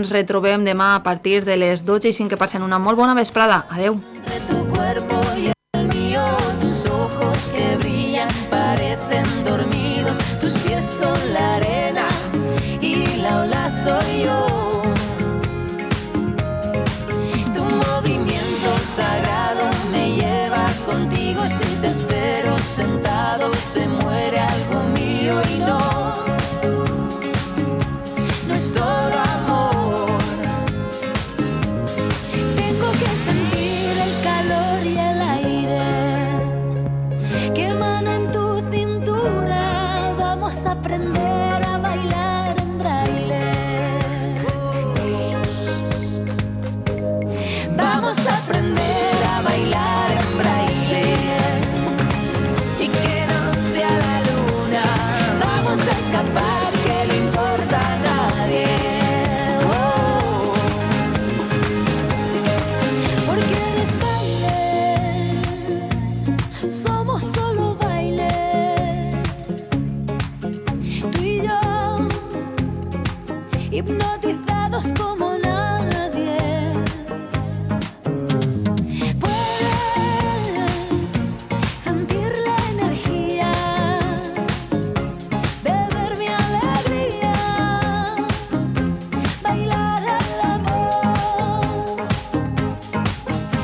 Ens retrobem demà a partir de les 12:05. Que passen una molt bona vesprada. Adeu. Entre tu cuerpo y el mío, tus ojos que brillan parecen dormidos, tus pies son la arena y la ola soy yo. Tu movimiento sagrado me lleva contigo, si te espero sentado se muere algo mío y no es solo amor. Tengo que sentir el calor y el aire que emana en tu cintura. Vamos a aprender a bailar en braille. Vamos a aprender a bailar en braille y que nos vea la luna. Vamos a escapar, que le importa a nadie. Oh. Porque eres baile, somos solo baile. Tú y yo, hipnotizados como nadie. Puedes sentir la energía, beber mi alegría, bailar el amor.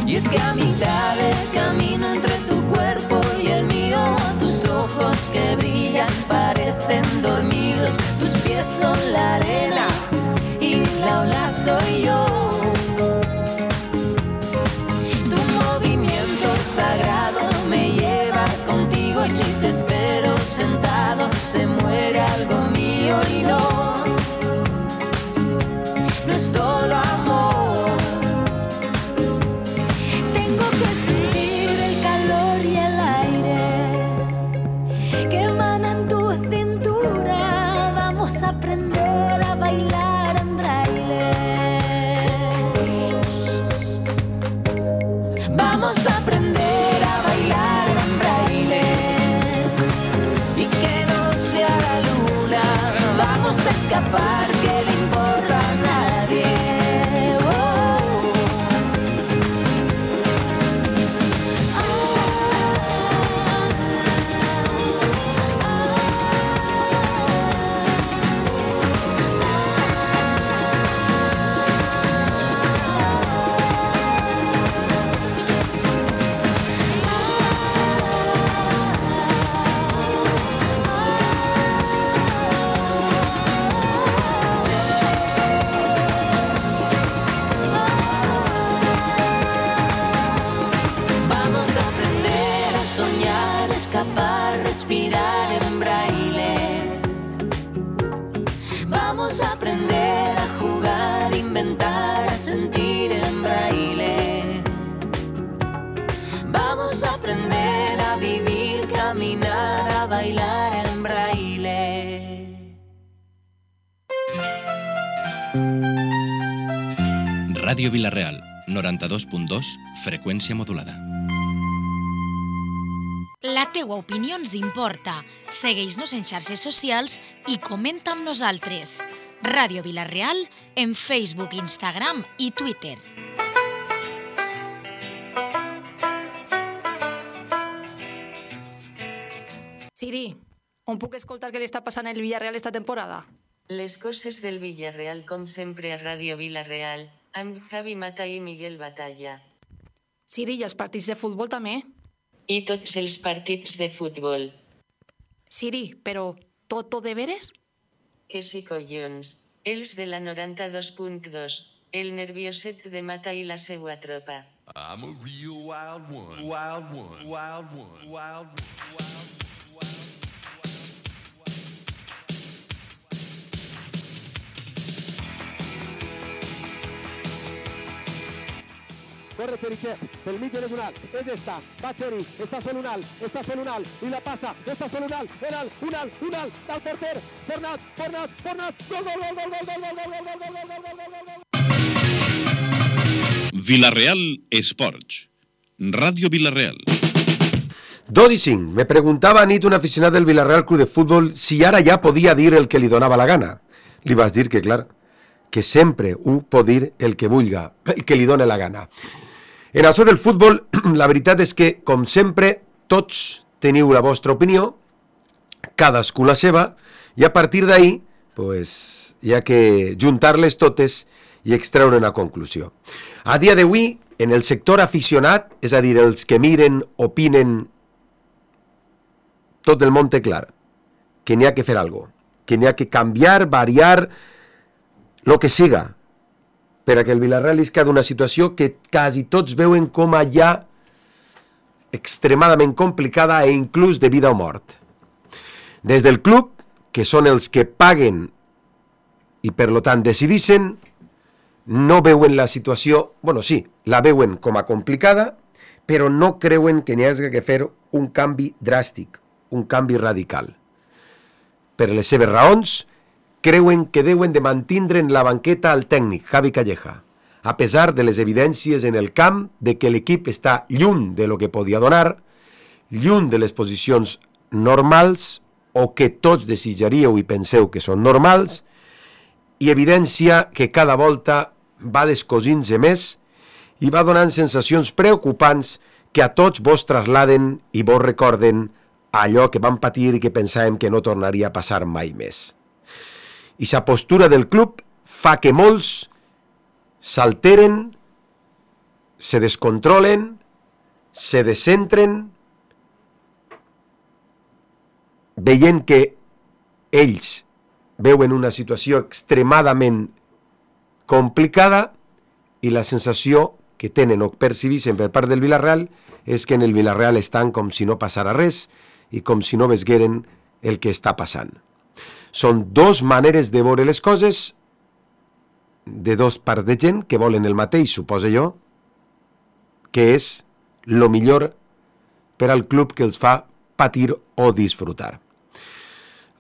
Y es que a mitad del camino entre tu cuerpo y el mío, tus ojos que brillan parecen dormidos, tus pies son la arena y la ola soy yo. Tu movimiento sagrado me lleva contigo, si te espero sentado se muere algo mío y no es solo amor. Tengo que sentir el calor y el aire que emana en tu cintura. Vamos a aprender a bailar en braille. Vamos a aprender a bailar en braille y que nos vea la luna. Vamos a escapar, que le importa a nadie. Oh. Vamos a aprender a soñar, escapar, respirar en braille. Vamos a aprender a jugar, inventar, a sentir en braille. Vamos a aprender a vivir, caminar, a bailar en braille. Ràdio Vila-real, 92.2, freqüència modulada. La teua opinió ens importa. Segueix-nos en xarxes socials i comenta amb nosaltres. Ràdio Vila-real en Facebook, Instagram i Twitter. Siri, on puc escoltar què li està passant al Villarreal esta temporada? Les coses del Villarreal com sempre a Ràdio Vila-real, amb Javi Mata i Miguel Batalla. Siri, i els partits de futbol també? I tots els partits de futbol. Siri, però tot de veres? Que sí, collons. Els de la 92.2. El nervioset de Mata i la seua tropa. I'm a real wild one. Wild one. Wild one. Wild one. Corre Cherichev, pel mig és un alt, és esta, va Cheri, està sol un alt, i la passa, està sol un alt, del porter, Fornat, gol, Vila-real Esports. Radio Vila-real. 2:05. Me preguntava a nit un aficionat del Villarreal Club de Futbol si ara ja podia dir el que li donava la gana. Li vas dir que, clar, que sempre ho pot dir el que vulga, el que li dóna la gana. En això del futbol, la veritat és que, com sempre, tots teniu la vostra opinió, cadascú la seva, i a partir d'ahir, pues, hi ha que juntar-les totes i extreure una conclusió. A dia d'avui, en el sector aficionat, és a dir, els que miren, opinen, tot el món té clar que n'hi ha que fer alguna cosa, que n'hi ha que canviar, variar, lo que siga, per a que el Villarreal isca d'una situació que quasi tots veuen com a ja extremadament complicada e inclús de vida o mort. Des del club, que són els que paguen i per lo tant decidixen, no veuen la situació, bueno, sí, la veuen com a complicada, però no creuen que n'hi hagi que fer un canvi dràstic, un canvi radical. Per les seves raons, creuen que deuen de mantindre en la banqueta al tècnic Javi Calleja, a pesar de les evidències en el camp de que l'equip està lluny de lo que podia donar, lluny de les posicions normals o que tots desitjaríeu i penseu que són normals, i evidència que cada volta va descosint-se més i va donant sensacions preocupants que a tots vos trasladen i vos recorden allò que vam patir i que pensàvem que no tornaria a passar mai més. I sa postura del club fa que molts s'alteren, se descontrolen, se descentren, veient que ells veuen una situació extremadament complicada i la sensació que tenen o percibeixen per part del Villarreal és que en el Villarreal estan com si no passara res i com si no vesgueren el que està passant. Són dos maneres de veure les coses de dos parts de gent que volen el mateix, suposo jo, que és lo millor per al club que els fa patir o disfrutar.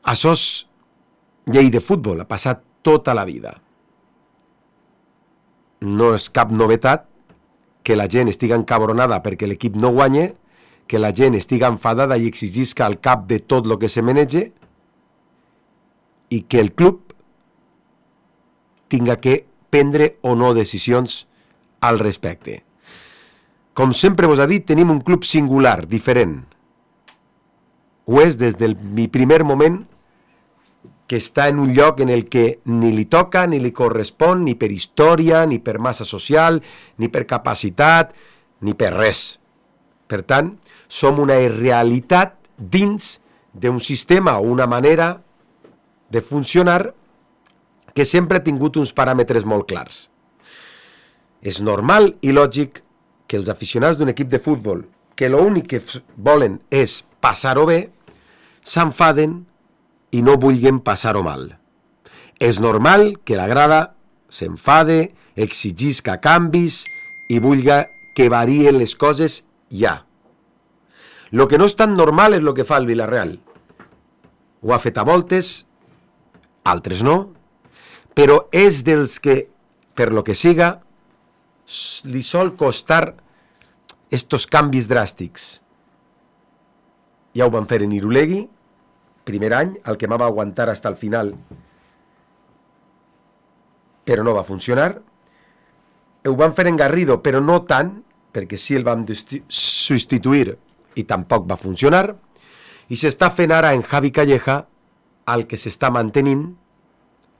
Això és llei de futbol, ha passat tota la vida. No és cap novetat que la gent estiga encabronada perquè l'equip no guanya, que la gent estiga enfadada i exigisca al cap de tot el que se menege i que el club tinga que prendre o no decisions al respecte. Com sempre vos ha dit, tenim un club singular, diferent. Ho és des del primer moment que està en un lloc en el que ni li toca, ni li correspon, ni per història, ni per massa social, ni per capacitat, ni per res. Per tant, som una realitat dins d'un sistema o una manera de funcionar que sempre ha tingut uns paràmetres molt clars. És normal i lògic que els aficionats d'un equip de futbol, que l'únic que volen és passar-ho bé, s'enfaden i no vulguin passar-ho mal. És normal que la grada s'enfade, exigisca canvis i vulga que varien les coses ja. Lo que no és tan normal és lo que fa el Villarreal. Ho ha fet a voltes, altres no, però és dels que, per lo que siga, li sol costar estos canvis dràstics. Ja ho van fer en Irulegui, primer any, el que va aguantar fins al final, però no va funcionar. Ho van fer en Garrido, però no tant, perquè sí el vam substituir i tampoc va funcionar. I s'està fent ara en Javi Calleja, el que s'està mantenint,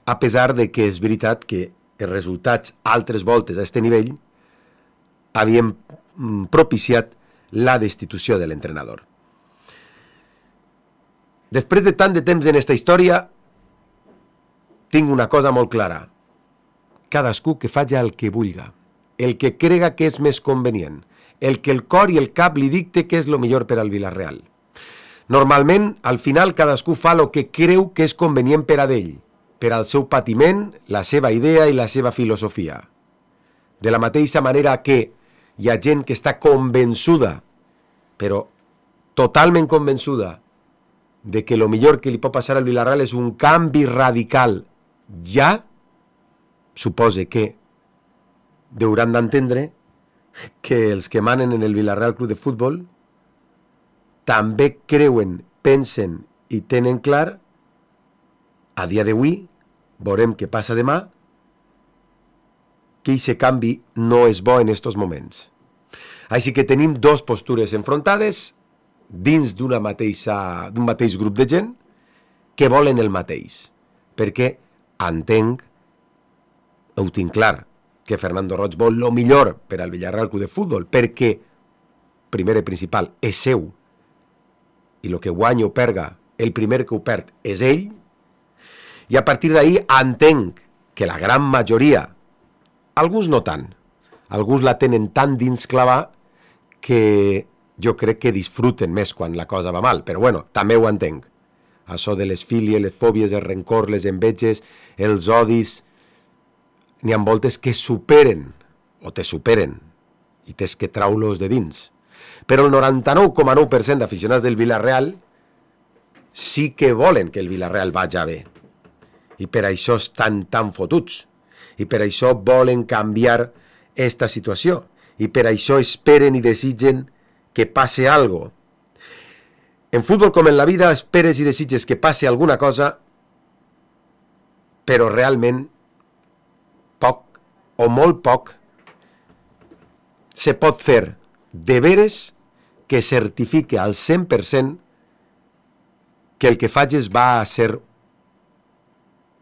a pesar de que és veritat que els resultats altres voltes a aquest nivell havien propiciat la destitució de l'entrenador. Després de tant de temps en aquesta història, tinc una cosa molt clara. Cadascú que faci el que vulga, el que crega que és més convenient, el que el cor i el cap li dicte que és el millor per al Villarreal. Normalment, al final, cadascú fa el que creu que és convenient per a ell, per al seu patiment, la seva idea i la seva filosofia. De la mateixa manera que hi ha gent que està convençuda, però totalment convençuda, de que el millor que li pot passar al Villarreal és un canvi radical ja, supose que hauran d'entendre que els que manen en el Villarreal Club de Futbol també creuen, pensen i tenen clar, a dia d'avui, veurem què passa demà, que aquest canvi no és bo en estos moments. Així que tenim dos postures enfrontades dins d'un mateix grup de gent que volen el mateix. Perquè entenc, ho tinc clar, que Fernando Roig vol el millor per al Villarreal Club de Futbol, perquè, primer i principal, és seu, i el que guanya o perga, el primer que ho perd és ell, i a partir d'ahir entenc que la gran majoria, alguns no tant, alguns la tenen tan dins clavar que jo crec que disfruten més quan la cosa va mal, però bueno, també ho entenc. Això de les fílies, les fòbies, el rencor, les enveges, els odis, n'hi ha voltes que superen, o te superen, i tens que traulos de dins. Però el 99,9% d'aficionats del Villarreal sí que volen que el Villarreal vagi bé. I per això estan tan fotuts. I per això volen canviar esta situació. I per això esperen i desitgen que passe algo. En futbol com en la vida esperes i desitges que passe alguna cosa, però realment poc o molt poc se pot fer de veres que certifique al 100% que el que facis va a ser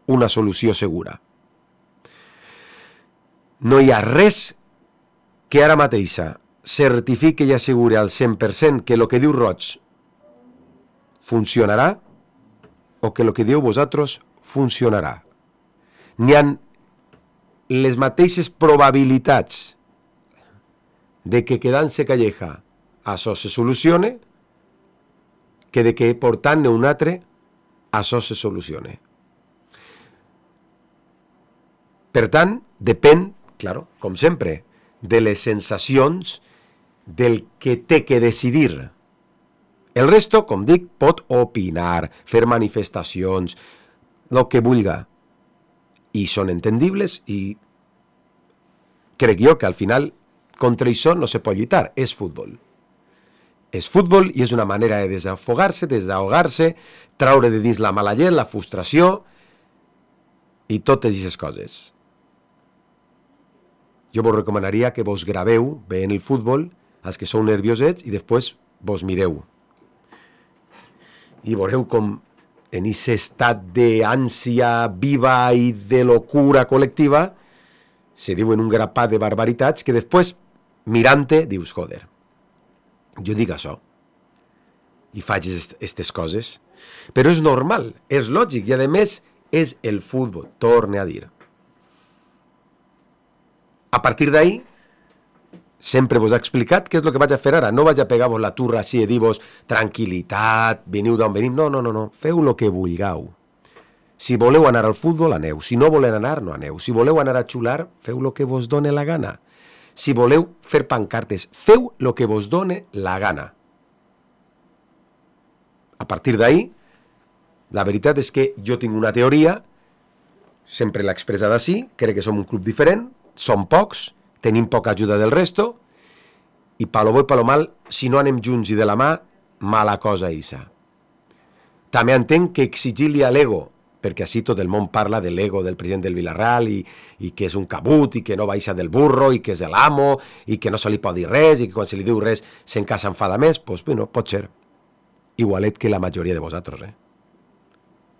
una solució segura. No hi ha res que ara mateixa certifique i assegure al 100% que el que diu Roig funcionarà o que el que diu vosaltres funcionarà. N'hi ha les mateixes probabilitats de que quedant-se Calleja això se solucione que de que portant-ne un altre això se solucione. Per tant, depèn, claro, com sempre, de les sensacions del que té que decidir. El resto, com dic, pot opinar, fer manifestacions, el que vulga. I són entendibles i crec jo que al final contra això no se pot lluitar, és futbol. És futbol i és una manera de desafogar-se, desahogar-se, traure de dins la mala llet, la frustració i totes aquestes coses. Jo vos recomanaria que vos graveu bé en el futbol, els que sou nerviosets, i després vos mireu. I veureu com en aquest estat d'ànsia viva i de locura col·lectiva se diuen un grapat de barbaritats que després, mirant-te, dius, joder, jo dic això i faig aquestes coses, però és normal, és lògic i a més és el futbol, torne a dir. A partir d'ahí sempre vos he explicat què és el que vaig a fer ara. No vaig a pegar-vos la turra així i dir-vos tranquil·litat, veniu d'on venim. No. Feu el que vulgueu. Si voleu anar al futbol, aneu. Si no voleu anar, no aneu. Si voleu anar a xular, feu el que vos done la gana. Si voleu fer pancartes, feu el que vos done la gana. A partir d'ahí, la veritat és que jo tinc una teoria, sempre l'he expressada així, crec que som un club diferent, som pocs, tenim poca ajuda del resto, i pa lo bo i pa lo mal, si no anem junts i de la mà, mala cosa isa. També entenc que exigir-li a l'ego, perquè així tot el món parla de l'ego del president del Villarreal i que és un cabut i que no baixa del burro i que és l'amo i que no se li pot dir res i que quan se li diu res s'enfada més, doncs bueno, pot ser. Igualet que la majoria de vosaltres,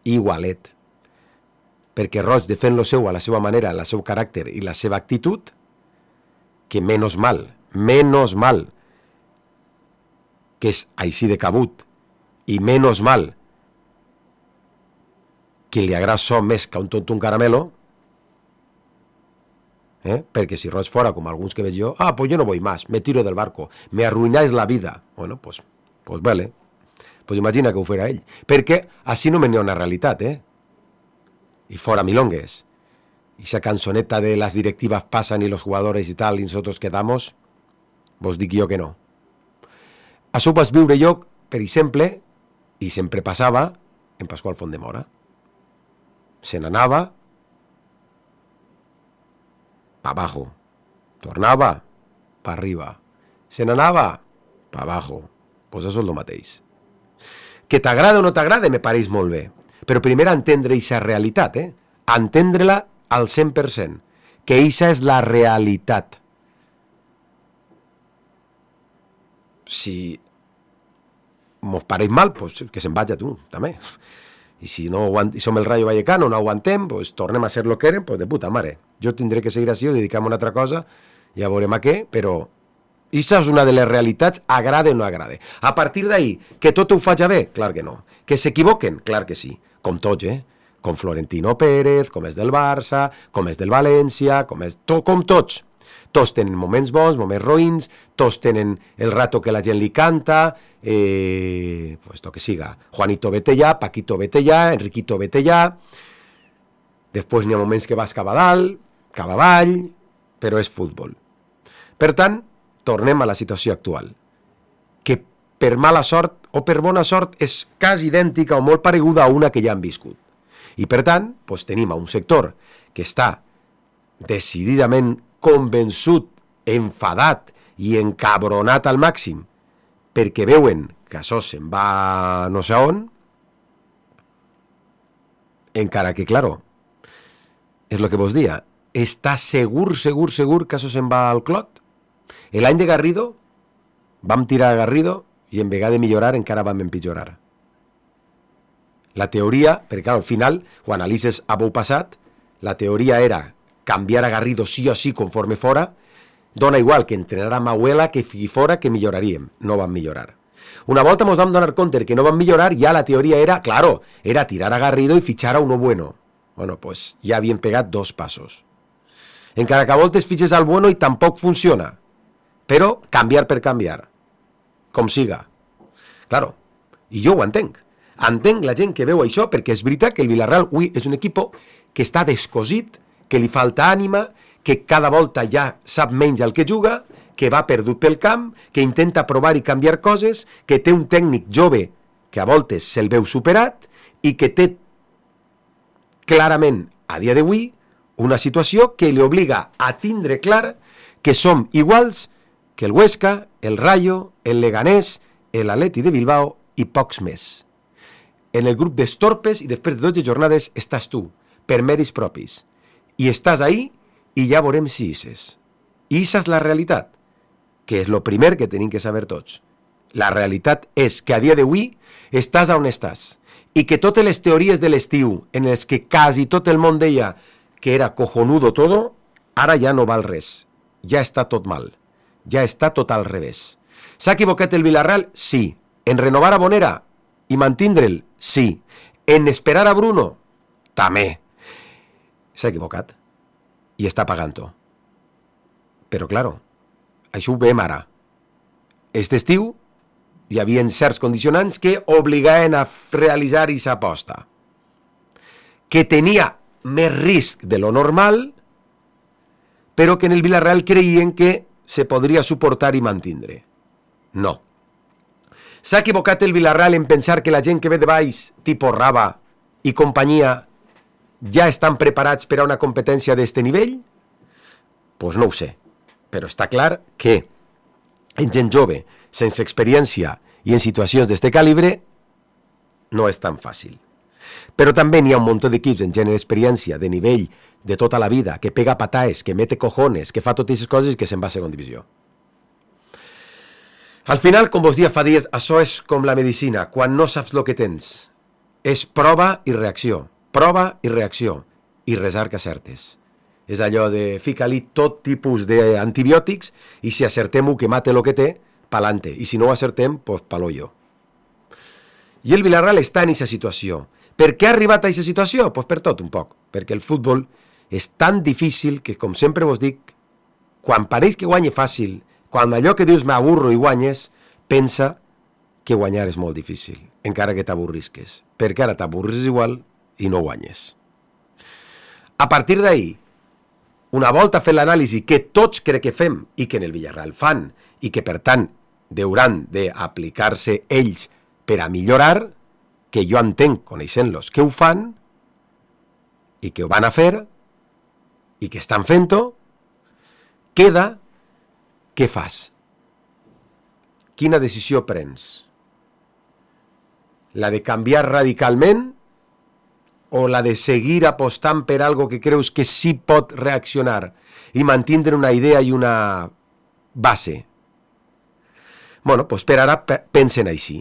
Igualet. Perquè Roig defèn lo seu a la seva manera, el seu caràcter i la seva actitud, que menos mal, que és així de cabut, i menos mal que li agrada això més que un tonto un caramelo, perquè si Roig fora com alguns que veig jo, pues yo no voy más, me tiro del barco, me arruináis la vida. Bueno, pues vale, pues imagina que ho fera ell, perquè així no me n'hi ha una realitat, y fora milongues. Y esa canzoneta de las directivas pasan y los jugadores y tal, y nosotros quedamos, vos dic jo que no. Això ho vaig viure jo, per exemple, i sempre passava en Pasqual Fontdemora. Se n'anava pa abajo, tornava pa arriba, se n'anava pa abajo. Pues això és el mateix. Que t'agrada o no t'agrada me pareix molt bé, però primer entendre aquesta realitat, entendre-la al 100%, que eixa és la realitat. Si mos pareix mal, pues que se'n vaig a tu, també. I si no som el Rayo Vallecano, no aguantem, pues tornem a ser lo que érem, pues de puta mare. Jo tindré que seguir així o dedicar-me a una altra cosa, ja veurem a què, però això és una de les realitats, agrade o no agrade. A partir d'ahí, que tot ho faig bé? Clar que no. Que s'equivoquen? Clar que sí. Com tots, Com Florentino Pérez, com és del Barça, com és del València, com tots. Tots tenen moments bons, moments roïns, tots tenen el rato que la gent li canta, pues lo que siga. Juanito vete ja, Paquito vete ja, Enriquito vete ja. Després n'hi ha moments que vas cap a dalt, cap avall, però és futbol. Per tant, tornem a la situació actual, que per mala sort o per bona sort és quasi idèntica o molt pareguda a una que ja han viscut. I per tant, doncs tenim a un sector que està decididament convençut, enfadat i encabronat al màxim perquè veuen que això se'n va no sé on, encara que, claro, és el que vos dia, està segur que això se'n va al clot. L'any de Garrido vam tirar a Garrido i en vegada de millorar encara vam empitjorar. La teoria, perquè al final, quan analitzes a bou passat, la teoria era canviar a Garrido sí o sí conforme fora, dona igual que entrenar a Mauela que fi fora que milloraríem. No vam millorar. Una volta ens vam donar compte que no vam millorar, ja la teoria era, claro, era tirar a Garrido i fitxar a uno bueno. Bueno, pues ja havien pegat 2 passos. Encara que a voltes fitxes al bueno i tampoc funciona. Però canviar per canviar. Com siga. Claro, i jo ho entenc. Entenc la gent que veu això perquè és veritat que el Villarreal avui és un equip que està descosit, que li falta ànima, que cada volta ja sap menys el que juga, que va perdut pel camp, que intenta provar i canviar coses, que té un tècnic jove que a voltes se'l veu superat i que té clarament a dia d'avui una situació que li obliga a tindre clar que som iguals que el Huesca, el Rayo, el Leganés, l'Atleti de Bilbao i pocs més. En el grup d'estorpes i després de 12 jornades estàs tu, per mèrits propis. I estàs ahí i ja veurem si hisses. I issa és la realitat, que és el primer que tenim que saber tots. La realitat és que a dia d'avui estàs on estàs i que totes les teories de l'estiu en les que quasi tot el món deia que era cojonudo todo, ara ja no val res. Ja està tot mal. Ja està tot al revés. S'ha equivocat el Villarreal? Sí. En renovar a Bonera i mantindre'l? Sí. En esperar a Bruno? També. S'ha equivocat. I està pagant-ho. Però, claro, això ho veiem ara. Aquest estiu hi havia certs condicionants que obligaven a realitzar aquesta aposta. Que tenia més risc de lo normal, però que en el Villarreal creien que se podria suportar i mantindre. No. S'ha equivocat el Villarreal en pensar que la gent que ve de baix, tipus Raba i companyia, ja estan preparats per a una competència d'este nivell? Pues no ho sé. Però està clar que en gent jove, sense experiència i en situacions d'este calibre, no és tan fàcil. Però també n'hi ha un munt d'equips en gent d'experiència, de nivell, de tota la vida, que pega pataes, que mete cojones, que fa totes aquestes coses i que se'n va a segona divisió. Al final, com vos dia fa dies, això és com la medicina, quan no saps el que tens. És prova i reacció, i resar que acertes. És allò de fica-li tot tipus d'antibiòtics i si acertem-ho que mate el que té, pa'lante. I si no ho acertem, pues palollo. I el Villarreal està en aquesta situació. Per què ha arribat a aquesta situació? Pues per tot un poc. Perquè el futbol és tan difícil que, com sempre vos dic, quan pareix que guanye fàcil, quan allò que dius m'aburro i guanyes, pensa que guanyar és molt difícil, encara que t'avorrisques. Perquè ara t'avorris igual i no guanyes. A partir d'ahí, una volta fet l'anàlisi que tots crec que fem i que en el Villarreal fan i que per tant hauran d'aplicar-se ells per a millorar, que jo entenc, coneixent-los, que ho fan i que ho van a fer i que estan fent-ho, queda què fas? Quina decisió prens? La de canviar radicalment o la de seguir apostant per algo que creus que sí pot reaccionar i mantindre una idea i una base? Bueno, pues per ara pensen així.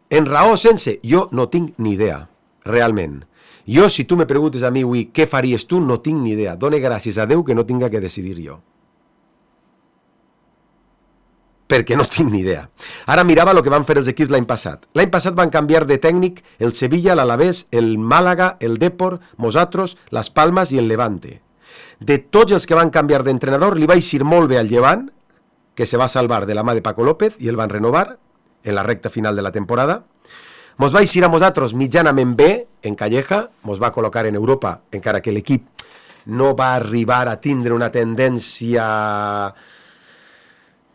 En raó sense, jo no tinc ni idea, realment. Jo, si tu me preguntes a mi avui què faries tu, no tinc ni idea. Done gràcies a Déu que no tinga que decidir jo. Perquè no tinc ni idea. Ara mirava el que van fer els equips l'any passat. L'any passat van canviar de tècnic el Sevilla, l'Alavés, el Màlaga, el Depor, Mosatros, Las Palmas i el Levante. De tots els que van canviar d'entrenador, li va eixir molt bé al Llevant, que se va salvar de la mà de Paco López i el van renovar en la recta final de la temporada. Mos va eixir a Mosatros mitjanament bé en Calleja, mos va col·locar en Europa, encara que l'equip no va arribar a tindre una tendència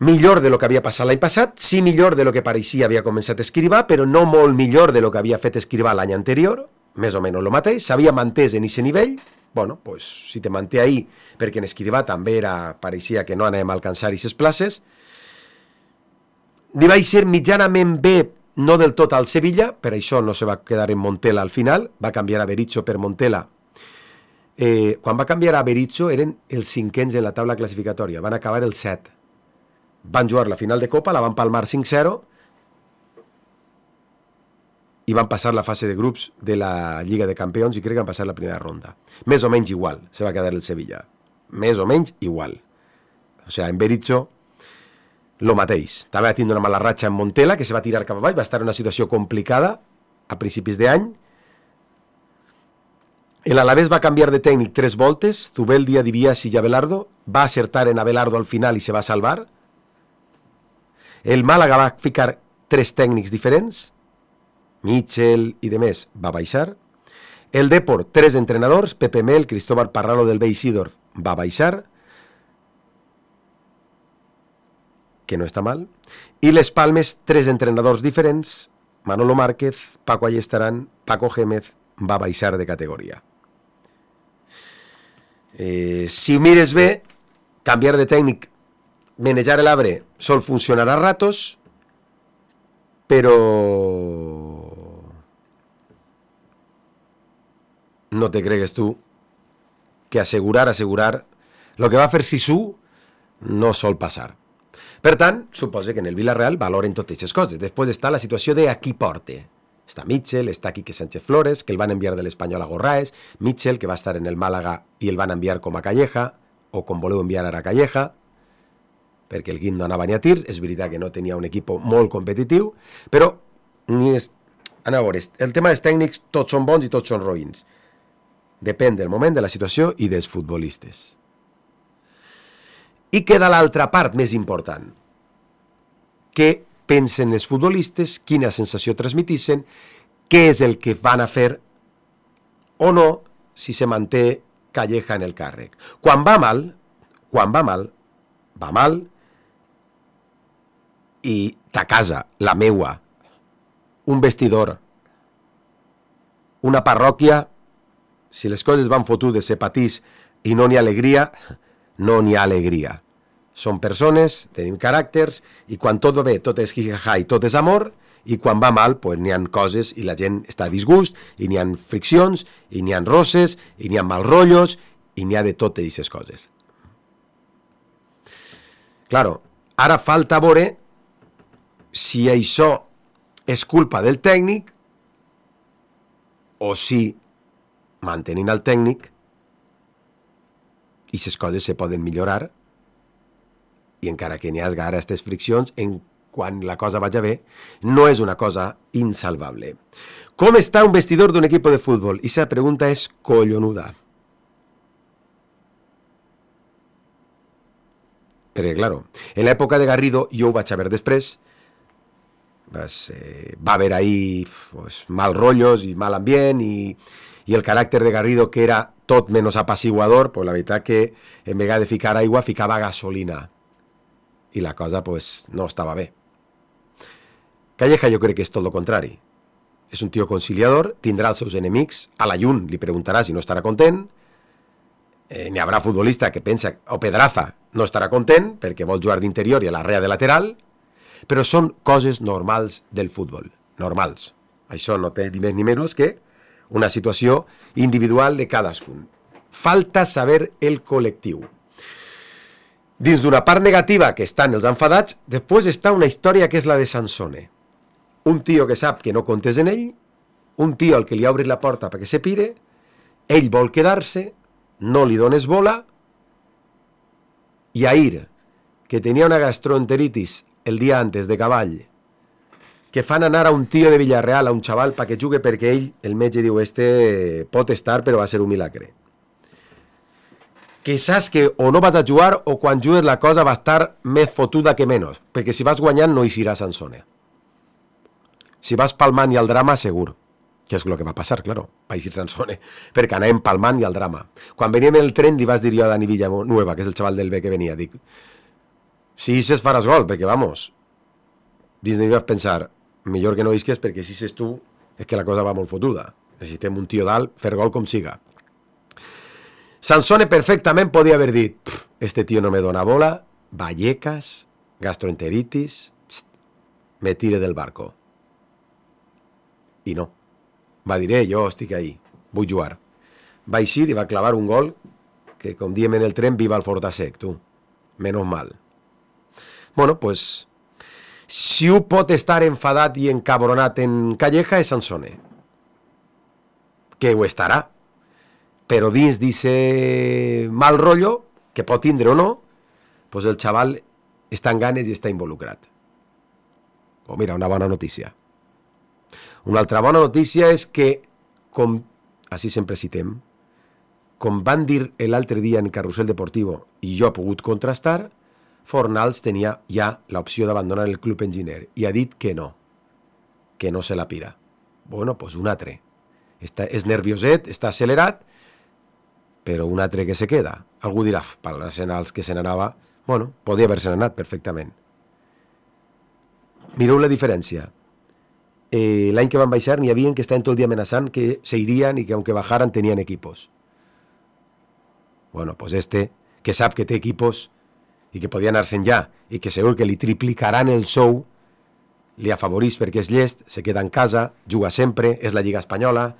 millor de lo que havia passat l'any passat, sí millor de lo que pareixia havia començat a Escrivà, però no molt millor de lo que havia fet Escrivà l'any anterior, més o menys el mateix, s'havia mantès en aquest nivell. Bueno, pues, si te manté ahí, perquè en Escrivà també pareixia que no anàvem a alcançar aquestes places, li vaig ser mitjanament bé, no del tot al Sevilla, per això no se va quedar en Montela al final, va canviar a Berizzo per Montela. Quan va canviar a Berizzo eren els cinquens en la taula classificatòria, van acabar el 7. Van jugar la final de Copa, la van palmar 5-0 i van passar la fase de grups de la Lliga de Campions i crec que van passar la primera ronda. Més o menys igual, se va quedar el Sevilla. Més o menys igual. O sigui, en Berizzo, lo mateix. També va tindre una mala ratxa en Montela, que se va tirar cap a baix, va estar en una situació complicada a principis d'any. L'Alavés va canviar de tècnic 3 voltes, Zubeldi, Dibiasi i Abelardo, va acertar en Abelardo al final i se va salvar. El Màlaga va ficar 3 tècnics diferents, Mitchell i demés va baixar. El Depor, 3 entrenadors, Pepe Mel, Cristóbal Parralo del Bay Sidorf va baixar, que no està mal. I les Palmes, 3 entrenadors diferents, Manolo Márquez, Paco Ayestarán, Paco Gémez va baixar de categoria. Si ho mires bé, canviar de tècnic, manejar l'arbre sol funcionar a ratos, però no te cregues tu que asegurar, el que va fer Sisu no sol passar. Per tant, suposa que en el Villarreal valoren totes aquestes coses. Després està la situació de a qui porte. Està Mitchell, està Quique Sánchez Flores, que el van enviar de l'Espanyol a Gorraes, Mitchell, que va estar en el Màlaga i el van enviar com a Calleja, o com voleu enviar ara a Calleja, perquè el Guim no anava ni a tirs. És veritat que no tenia un equip molt competitiu, però a veure, el tema dels tècnics tots són bons i tots són roïns. Depèn del moment, de la situació i dels futbolistes. I queda l'altra part més important. Què pensen els futbolistes, quina sensació transmitissen, què és el que van a fer o no si se manté Calleja en el càrrec. Quan va mal, va mal, i ta casa, la meua, un vestidor, una parròquia, si les coses van fotudes se patís i no n'hi ha alegria, no n'hi ha alegria. Són persones, tenim caràcters, i quan tot va bé, tot és jijaja i tot és amor, i quan va mal, pues, n'hi ha coses i la gent està a disgust, i n'hi ha friccions, i n'hi ha roses, i n'hi ha mal rotllos, i n'hi ha de totes aquestes coses. Claro, ara falta veure si això és culpa del tècnic o si, mantenint el tècnic, i aquestes coses se poden millorar, i encara que n'hi hagi ara aquestes friccions, quan la cosa vaja bé, no és una cosa insalvable. Com està un vestidor d'un equip de futbol? I la pregunta és collonuda. Perquè, claro, en l'època de Garrido, jo ho vaig saber després, va haver ahí mal rotllos i mal ambient, i el caràcter de Garrido, que era tot menys apaciguador, pues la veritat que en vegada de ficar aigua, ficava gasolina. I la cosa pues no estava bé. Calleja jo crec que és tot el contrari. És un tio conciliador, tindrà els seus enemics, a la llum li preguntarà si no estarà content, n'hi haurà futbolista que pensa, o Pedraza no estarà content perquè vol jugar d'interior i a l'arrea de lateral, però són coses normals del futbol, normals. Això no té ni més ni menys que una situació individual de cadascun. Falta saber el col·lectiu. Dins d'una part negativa que estan els enfadats, després està una història que és la de Sansone. Un tio que sap que no comptes en ell, un tio al que li ha obrit la porta perquè se pire, ell vol quedar-se, no li dones bola, i Ahir, que tenia una gastroenteritis el dia antes de cavall, que fan anar a un tio de Villarreal, a un xaval, perquè jugue perquè ell, el metge diu, pot estar, però va ser un milagre. Que saps que o no vas a jugar o quan jugues la cosa va estar més fotuda que menys, perquè si vas guanyant no eixirà Sansone. Si vas palmant i al drama, segur. Que és el que va passar, claro, va eixir Sansone, perquè anàvem palmant i al drama. Quan veníem en el tren li vas dir jo a Dani Villanueva, que és el xaval del B que venia, dic, si eixes faràs gol, perquè vamos, dins de mi vas pensar, millor que no eixes perquè si eixes tu és que la cosa va molt fotuda. Necessitem un tio dalt, fer gol com siga. Sansone perfectament podia haver dit, este tio no me dona bola, Vallecas, gastroenteritis, me tire del barco. I no. Va dir, jo estic ahí, vull jugar. Va eixir i va clavar un gol que, com diem en el tren, viva el Fortasec, tu. Menos mal. Bueno, pues, si ho pot estar enfadat i encabronat en Calleja és Sansone. Que ho estarà. Però dins d'ese mal rotllo, que pot tindre o no, pues el xaval està en ganes i està involucrat. Oh, mira, una bona notícia. Una altra bona notícia és que, com així sempre citem, com van dir l'altre dia en Carrusel Deportivo, i jo he pogut contrastar, Fornals tenia ja l'opció d'abandonar el club enginyer i ha dit que no se la pira. Bueno, pues un altre. És nervioset, està accelerat, però un altre que se queda. Algú dirà, per l'Arsenal que se n'anava, bueno, podia haver-se anat perfectament. Mireu la diferència. L'any que van baixar n'hi havia que estaven tot el dia amenaçant que se irien i que aunque bajaran tenien equipos. Bueno, pues que sap que té equipos i que podia anar-se'n ja i que segur que li triplicaran el sou, li afavorís perquè és llest, se queda en casa, juga sempre, és la Lliga Espanyola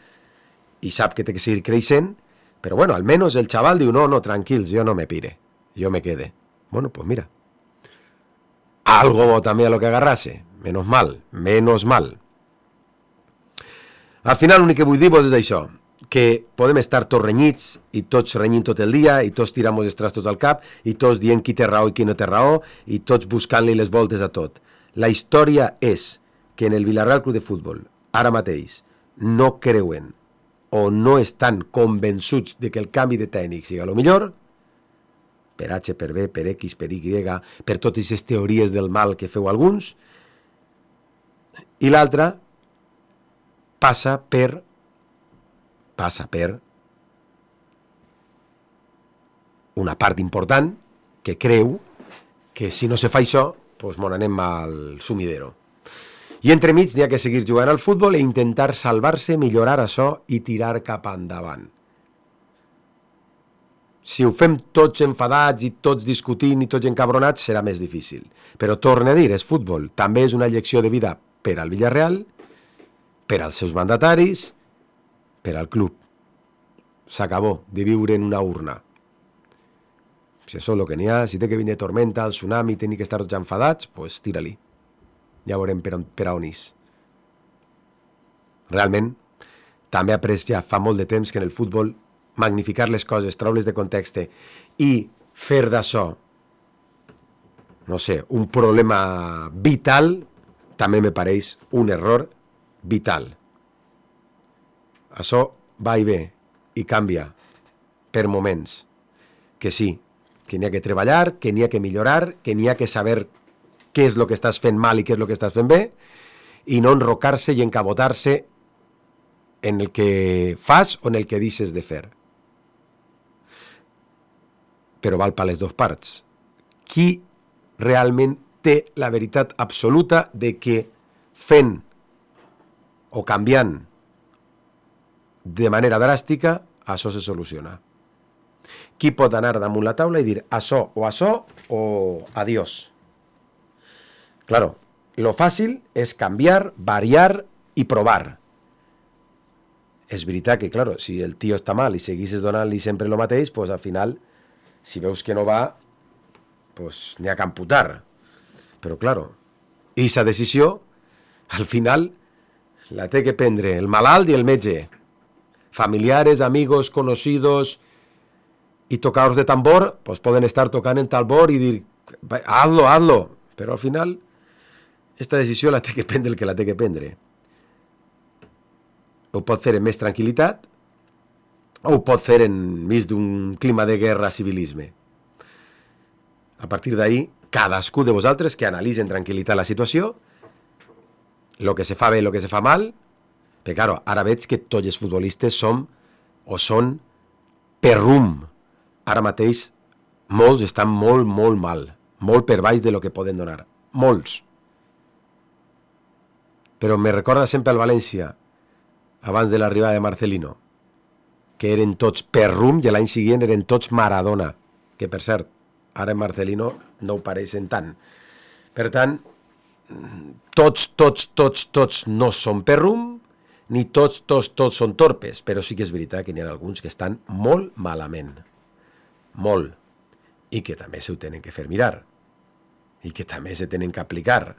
i sap que té que seguir creixent, però bueno, almenys el xaval diu, no, tranquils, jo no me pire, jo me quede. Bueno, pues mira, algo també a lo que agarrase, menos mal. Al final l'únic que vull dir és això, que podem estar tots renyits i tots renyint tot el dia i tots tirant els trastos al cap i tots dient qui té raó i qui no té raó i tots buscant-li les voltes a tot. La història és que en el Villarreal Club de Futbol ara mateix no creuen o no estan convençuts de que el canvi de tècnic sigui el millor, per H, per B, per X, per Y, per totes aquestes teories del mal que feu alguns, i l'altra passa per una part important que creu que si no se fa això, doncs mon anem al sumidero. I entremig n'hi ha que seguir jugant al futbol i intentar salvar-se, millorar això i tirar cap endavant. Si ho fem tots enfadats i tots discutint i tots encabronats, serà més difícil. Però torno a dir, és futbol. També és una llecció de vida per al Villarreal, per als seus mandataris, per al club. S'acabó de viure en una urna. Si això és el que n'hi ha, si té que vindre tormenta, el tsunami, tenir que estar tots enfadats, doncs tira-li. Ja veurem per on és. Realment, també he après ja fa molt de temps que en el futbol magnificar les coses, treure-les de context i fer d'això, no sé, un problema vital, també me pareix un error vital. Això va i ve i canvia per moments. Que sí, que n'hi ha que treballar, que n'hi ha que millorar, que n'hi ha que saber què és el que estàs fent mal i què és el que estàs fent bé, i no enrocar-se i encabotar-se en el que fas o en el que deixes de fer. Però val per les dues parts. Qui realment té la veritat absoluta de que fent o canviant de manera dràstica, això se soluciona? Qui pot anar damunt la taula i dir això o adiós? Claro, lo fácil es cambiar, variar y probar. és veritat que, claro, si el tio està mal i seguissis donant-li sempre el mateix, pues al final, si veus que no va, pues n'hi ha que amputar. Però, claro, aquesta decisió, al final, la té que prendre el malalt i el metge. Familiares, amigos, conocidos y tocadores de tambor, pues poden estar tocant en tambor i dir, hazlo. Però al final, esta decisió la té que prendre el que la té que prendre. Ho pot fer en més tranquil·litat o ho pot fer enmig d'un clima de guerra civilisme. A partir d'ahí, cadascú de vosaltres que analitzi en tranquil·litat la situació, el que se fa bé i el que se fa mal, perquè, claro, ara veig que tots els futbolistes són per rum. Ara mateix, molts estan molt mal, molt per baix de lo que poden donar. Molts. Però me recorda sempre el València, abans de l'arribada de Marcelino, que eren tots per rum i l'any següent eren tots Maradona, que per cert, ara en Marcelino no ho pareixen tant. Per tant, tots no són per rum, ni tots són torpes, però sí que és veritat que n'hi ha alguns que estan molt malament. Molt. I que també s'ho tenen que fer mirar. I que també se tenen que aplicar.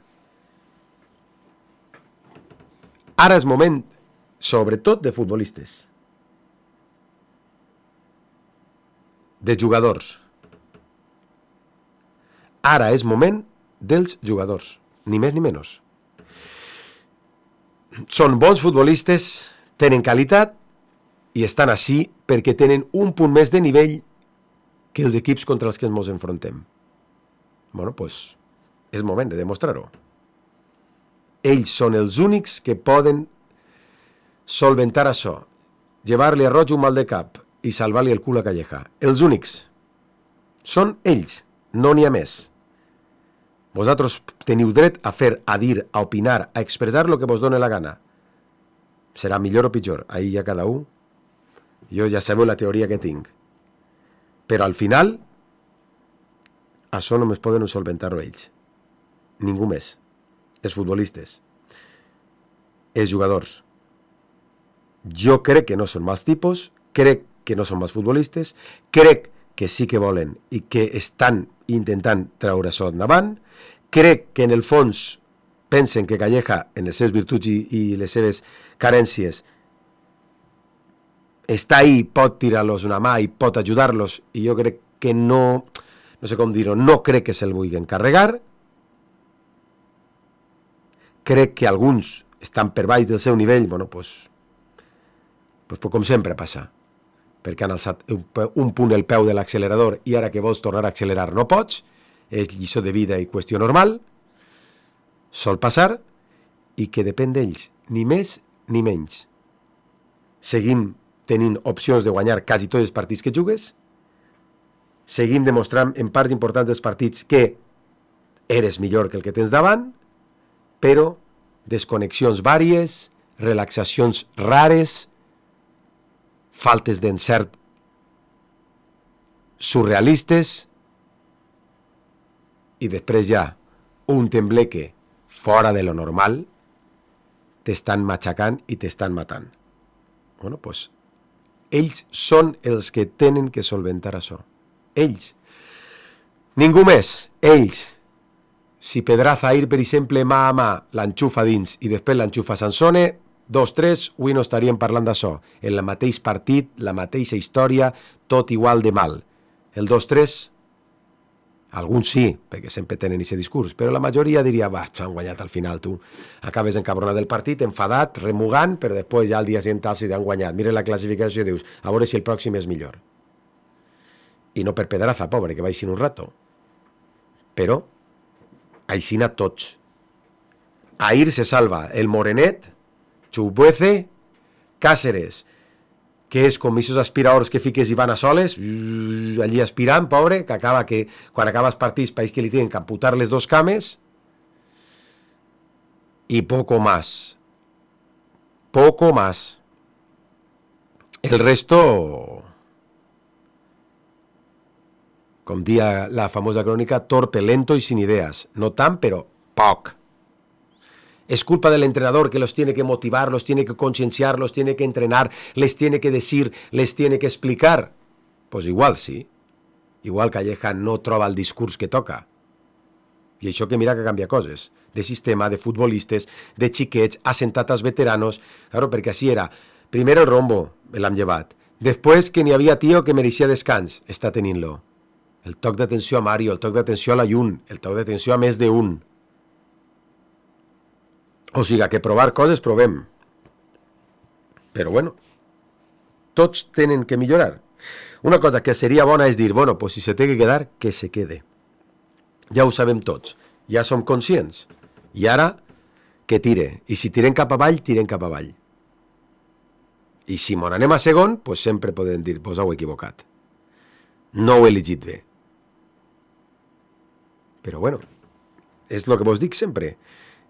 Ara és moment, sobretot de futbolistes. De jugadors. Ara és moment dels jugadors. Ni més ni menys. Són bons futbolistes, tenen qualitat i estan així perquè tenen un punt més de nivell que els equips contra els que ens enfrontem. Bueno, doncs és moment de demostrar-ho. Ells són els únics que poden solventar això, llevar-li a Roig un mal de cap i salvar-li el cul a Calleja. Els únics. Són ells, no n'hi ha més. Vosaltres teniu dret a fer, a dir, a opinar, a expressar el que vos doni la gana. Serà millor o pitjor, ahí ja cada un. Jo ja sabeu la teoria que tinc. Però al final, això només poden solventar-ho ells. Ningú més. Els futbolistes. Els jugadors. Jo crec que no són mals tipus, crec que no són mals futbolistes, crec que sí que volen i que estan intentant treure això endavant. Crec que en el fons pensen que Calleja, en les seves virtuts i les seves carències, està ahí, pot tirar-los una mà i pot ajudar-los, i jo crec que no sé com dir-ho, no crec que se'l vulguin carregar. Crec que alguns estan per baix del seu nivell, bueno, pues com sempre passa, perquè han alçat un punt el peu de l'accelerador i ara que vols tornar a accelerar no pots, és lliçó de vida i qüestió normal, sol passar, i que depèn d'ells, ni més ni menys. Seguim tenint opcions de guanyar quasi tots els partits que jugues, seguim demostrant en parts importants dels partits que eres millor que el que tens davant, però desconnexions vàries, relaxacions rares, faltes d'encert surrealistes, i després ja un tembleque fora de lo normal, t'estan matxacant i t'estan matant. Bueno, doncs, ells són els que tenen que solventar això. Ells. Ningú més. Ells. Si Pedraza ir, per exemple, mà a mà, l'enxufa dins i després l'enxufa Sansone, 2-3, avui no estaríem parlant d'això. En el mateix partit, la mateixa història, tot igual de mal. El 2-3, alguns sí, perquè sempre tenen aquest discurs, però la majoria diria, va, s'han guanyat al final, tu. Acabes encabronat del partit, enfadat, remugant, però després ja al dia següent si t'han guanyat. Mira la classificació i dius, a veure si el pròxim és millor. I no per Pedraza, pobre, que va així un rato. Però, aixina tots. Ahir se salva el Morenet, Chubuece, Cáceres, que és com aquests aspiradors que fiques i van a soles, allí aspirant, pobre, que acaba que quan acabes partits país que li tenen que amputar les dos cames, i poco más. Poco más. El resto, com dia la famosa crònica, torpe, lento i sin idees. No tant, però poc. Es culpa del entrenador que los tiene que motivar, los tiene que concienciar, los tiene que entrenar, les tiene que decir, les tiene que explicar. Pues igual sí. Igual Calleja no troba el discurs que toca. I això que mira que canvia coses. De sistema, de futbolistes, de xiquets, assentat als veteranos. Claro, perquè així era. Primer el rombo, l'hem llevat. Després que n'hi havia tio que mereixia descans. Està tenint-lo. El toc d'atenció a Mario, el toc d'atenció a la Jun, el toc d'atenció a més d'un. O sigui, que provar coses provem. Però bueno, tots tenen que millorar. Una cosa que seria bona és dir, bueno, pues si se té que quedar, que se quede. Ja ho sabem tots, ja som conscients. I ara, que tire. I si tirem cap avall, tirem cap avall. I si mon anem a segon, pues sempre podem dir, pues heu equivocat. No ho he elegit bé. Però bueno, és el que vos dic sempre.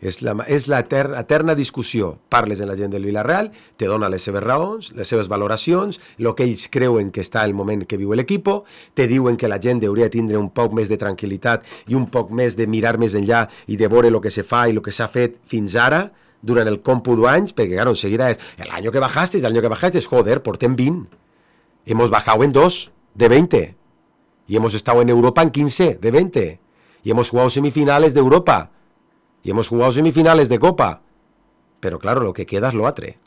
És la eterna discussió. Parles amb la gent del Villarreal, te dona les seves raons, les seves valoracions, el que ells creuen que està el moment que viu l'equip, te diuen que la gent hauria de tindre un poc més de tranquil·litat i un poc més de mirar més enllà i de veure el que se fa i el que s'ha fet fins ara, durant el còmputo d'anys, perquè claro, enseguida és el año que bajaste, joder, portem 20. Hemos bajado en 2 de 20. Y hemos estado en Europa en 15 de 20. Y hemos jugado semifinales de Europa. Y hemos jugado semifinales de Copa. Pero claro, lo que queda es lo atre.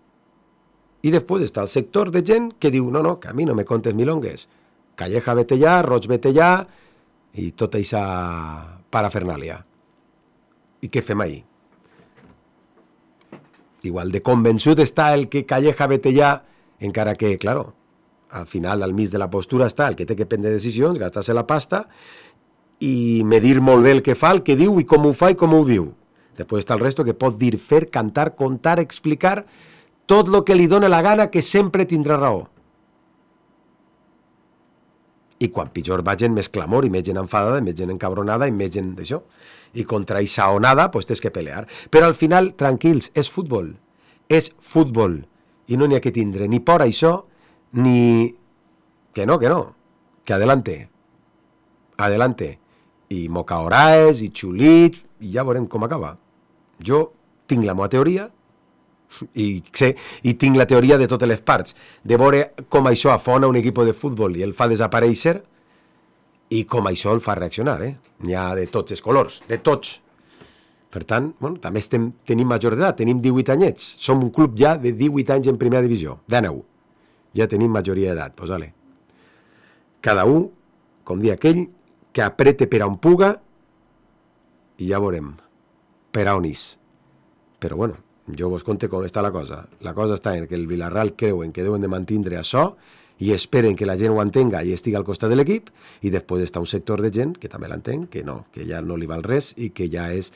Y después está el sector de gent que diu, no, que a mi no me contes milongues. Calleja vete ya, Roig vete ya, i tota esa parafernàlia. I què fem ahí? Igual de convençut està el que Calleja vete ya, encara que, claro, al final, al mig de la postura està el que té que prendre decisions, gastar-se la pasta i medir molt bé el que fa, el que diu i com ho fa i com ho diu. Després està el resto que pot dir, fer, cantar, contar, explicar tot el que li dona la gana, que sempre tindrà raó. I quan pitjor va gent, més clamor, i més gent enfadada, i més gent encabronada, i més gent d'això. I contra aquesta onada, pues tens que pelear. Però al final, tranquils, és futbol. És futbol. I no n'hi ha que tindre ni por a això, ni... Que no. Que adelante. Adelante. I mocaoraes, i xulit, i ja veurem com acaba. Jo tinc la meva teoria, i tinc la teoria de totes les parts, de veure com això afona un equip de futbol i el fa desaparèixer, i com això el fa reaccionar, N'hi ha de tots els colors, de tots. Per tant, bueno, també tenim major d'edat, tenim 18 anyets, som un club ja de 18 anys en primera divisió, 19. Ja tenim majoria d'edat, pues vale. Cada un, com dia aquell, que aprete per on puga, i ja veurem per on és. Però bueno, jo vos conte com està la cosa. La cosa està en que el Villarreal creuen que deuen de mantindre això i esperen que la gent ho entenga i estigui al costat de l'equip, i després està un sector de gent que també l'entén, que no, que ja no li val res i que ja és...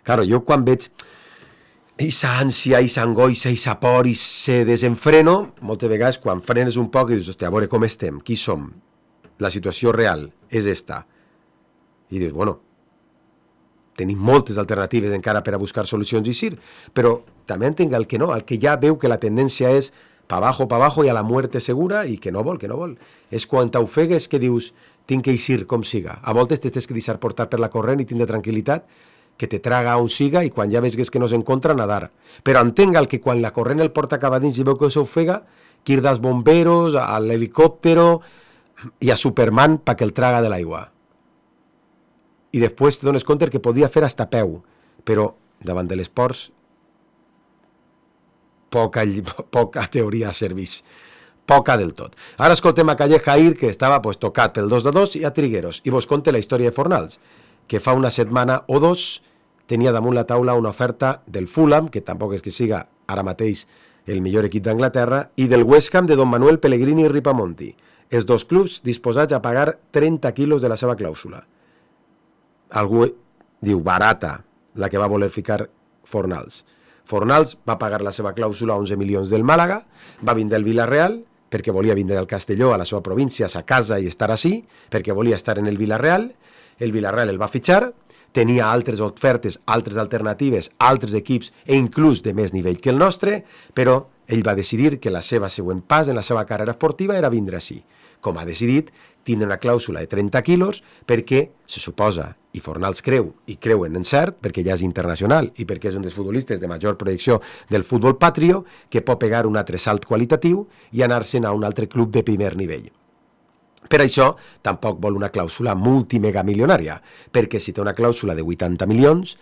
Claro, jo quan veig aquesta ànsia, aquesta angoixa, aquesta por, aquest desenfreno, moltes vegades quan frenes un poc i dius, hòstia, a veure com estem, qui som, la situació real és esta. I dius, bueno, tenim moltes alternatives encara per a buscar solucions i sí, però també entenc el que no, el que ja veu que la tendència és pa abajo i a la muerte segura i que no vol. És quan t'ofegues que dius, tinc que eixir com siga. A voltes t'has que deixar portar per la corrent i tindre tranquil·litat, que te traga on siga i quan ja veus que no s'encontra, nadar. Però entenc el que quan la corrent el porta cap a dins i veu que s'ofega, quirdar als bomberos, a l'helicòptero i a Superman perquè el traga de l'aigua. I després te dones compte que podia fer hasta peu, però davant de les ports poca teoria serveix, poca del tot. Ara escoltem a Calleja ahir, que estava tocat pel 2-2 i a Trigueros, i vos conte la història de Fornals, que fa una setmana o dos tenia damunt la taula una oferta del Fulham, que tampoc és que siga ara mateix el millor equip d'Anglaterra, i del West Ham de Don Manuel Pellegrini i Ripamonti, els dos clubs disposats a pagar 30 quilos de la seva clàusula. Algú diu barata la que va voler ficar Fornals. Fornals va pagar la seva clàusula 11 milions del Màlaga, va vindre al Villarreal perquè volia vindre al Castelló, a la seva província, a sa casa i estar així, perquè volia estar en el Villarreal el va fitxar, tenia altres ofertes, altres alternatives, altres equips e inclús de més nivell que el nostre, però ell va decidir que la seva següent pas en la seva carrera esportiva era vindre així. com ha decidit, tindre una clàusula de 30 quilos perquè se suposa, i Fornals creu, i creuen en cert, perquè ja és internacional i perquè és un dels futbolistes de major projecció del futbol patrio, que pot pegar un altre salt qualitatiu i anar-se'n a un altre club de primer nivell. Per això, tampoc vol una clàusula multimegamilionària, perquè si té una clàusula de 80 milions,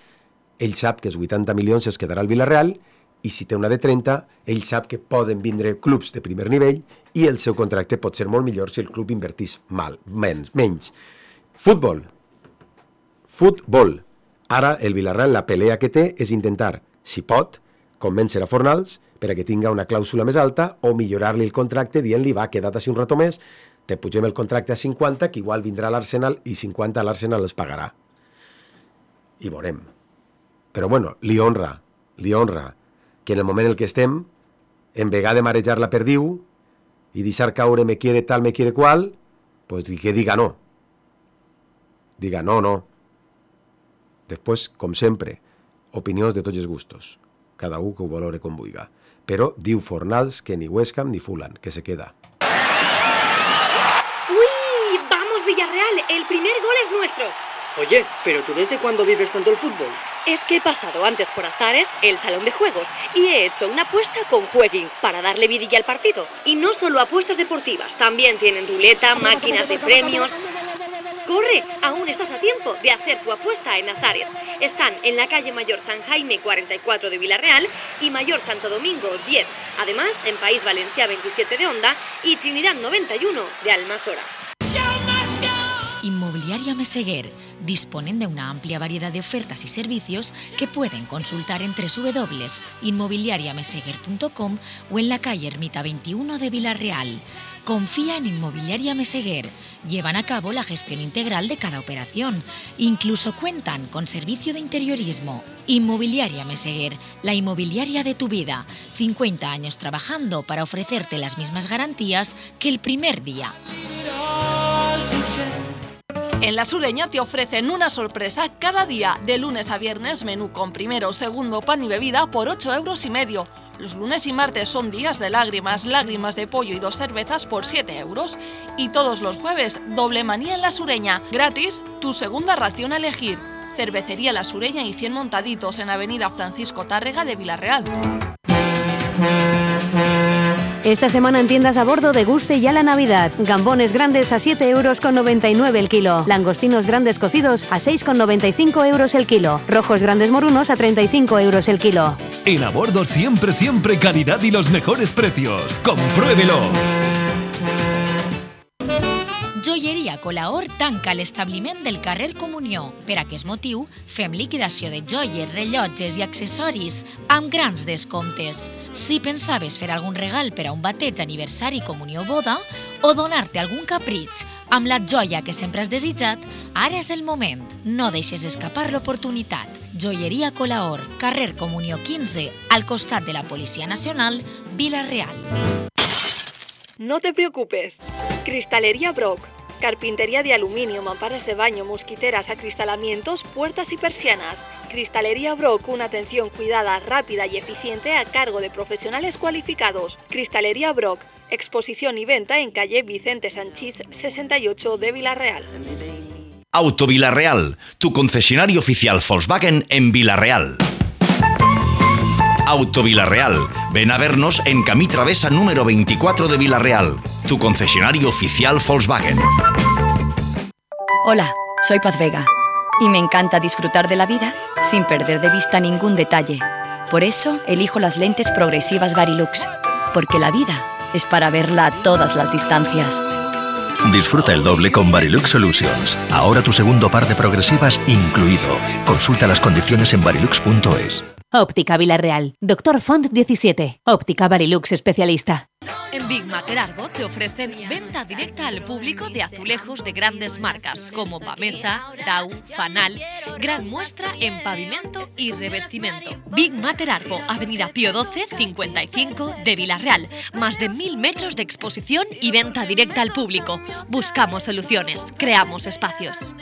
ell sap que els 80 milions es quedarà al Villarreal, i si té una de 30, ell sap que poden vindre clubs de primer nivell i el seu contracte pot ser molt millor si el club invertís menys. Futbol. Ara el Villarreal, la pelea que té és intentar, si pot, convèncer a Fornals per a que tinga una clàusula més alta o millorar-li el contracte dient-li, va, queda't així un rato més, te pugem el contracte a 50, que igual vindrà a l'Arsenal i 50 a l'Arsenal els pagarà. I veurem. Però bueno, li honra que en el moment en el que estem, en vegada de marejar la perdiu i deixar caure me quiere tal, me quiere qual, pues que diga no. Diga no. Després, com sempre, opinions de tots els gustos. Cada un que ho valore com vulga. Però diu Fornals que ni West Ham ni Fulham, que se queda. ¡Uy! ¡Vamos, Villarreal! ¡El primer gol es nuestro! Oye, ¿pero tú desde cuándo vives tanto el fútbol? Es que he pasado antes por Azares, el salón de juegos, y he hecho una apuesta con Jueguin para darle vidilla al partido. Y no solo apuestas deportivas, también tienen ruleta, máquinas de premios... ¡Corre! Aún estás a tiempo de hacer tu apuesta en Azares. Están en la calle Mayor San Jaime 44 de Villarreal y Mayor Santo Domingo 10. Además, en País Valencià 27 de Onda y Trinidad 91 de Almasora. Inmobiliaria Meseguer, disponen de una amplia variedad de ofertas y servicios que pueden consultar en www.inmobiliariameseguer.com o en la calle Ermita 21 de Villarreal. Confía en Inmobiliaria Meseguer. Llevan a cabo la gestión integral de cada operación. Incluso cuentan con servicio de interiorismo. Inmobiliaria Meseguer, la inmobiliaria de tu vida. 50 años trabajando para ofrecerte las mismas garantías que el primer día. En La Sureña te ofrecen una sorpresa cada día. De lunes a viernes, menú con primero, segundo, pan y bebida por 8,5 €. Los lunes y martes son días de lágrimas de pollo y 2 cervezas por 7 €. Y todos los jueves, doble manía en La Sureña. Gratis, tu segunda ración a elegir. Cervecería La Sureña y 100 montaditos en Avenida Francisco Tárrega de Villarreal. Esta semana en tiendas a bordo deguste ya la Navidad. Gambones grandes a 7,99 € el kilo. Langostinos grandes cocidos a 6,95 € el kilo. Rojos grandes morunos a 35 € el kilo. En a bordo siempre calidad y los mejores precios. ¡Compruébelo! Joieria Colaor tanca l'establiment del carrer Comunió. Per aquest motiu, fem liquidació de joies, rellotges i accessoris amb grans descomptes. Si pensaves fer algun regal per a un bateig, aniversari, comunió o boda, o donar-te algun capritx amb la joia que sempre has desitjat, ara és el moment. No deixes escapar l'oportunitat. Joieria Colaor, carrer Comunió 15, al costat de la Policia Nacional, Vila-real. No te preocupes. Cristalería Brock. Carpintería de aluminio, mamparas de baño, mosquiteras, acristalamientos, puertas y persianas. Cristalería Brock, una atención cuidada, rápida y eficiente a cargo de profesionales cualificados. Cristalería Brock, exposición y venta en calle Vicente Sanchís 68 de Vila-real. Auto Vila-real, tu concesionario oficial Volkswagen en Vila-real. Auto Vila-real. Ven a vernos en Camí Travesa número 24 de Vila-real, tu concesionario oficial Volkswagen. Hola, soy Paz Vega y me encanta disfrutar de la vida sin perder de vista ningún detalle. Por eso elijo las lentes progresivas Varilux, porque la vida es para verla a todas las distancias. Disfruta el doble con Varilux Solutions. Ahora tu segundo par de progresivas incluido. Consulta las condiciones en varilux.es. Óptica Vila-real. Dr. Font 17. Óptica Varilux especialista. En Big Mater Arbo te ofrecen venta directa al público de azulejos de grandes marcas como Pamesa, Dau, Fanal, gran muestra en pavimento y revestimiento. Big Mater Arbo, Avenida Pío 12, 55 de Vila-real. Más de 1000 metros de exposición y venta directa al público. Buscamos soluciones, creamos espacios.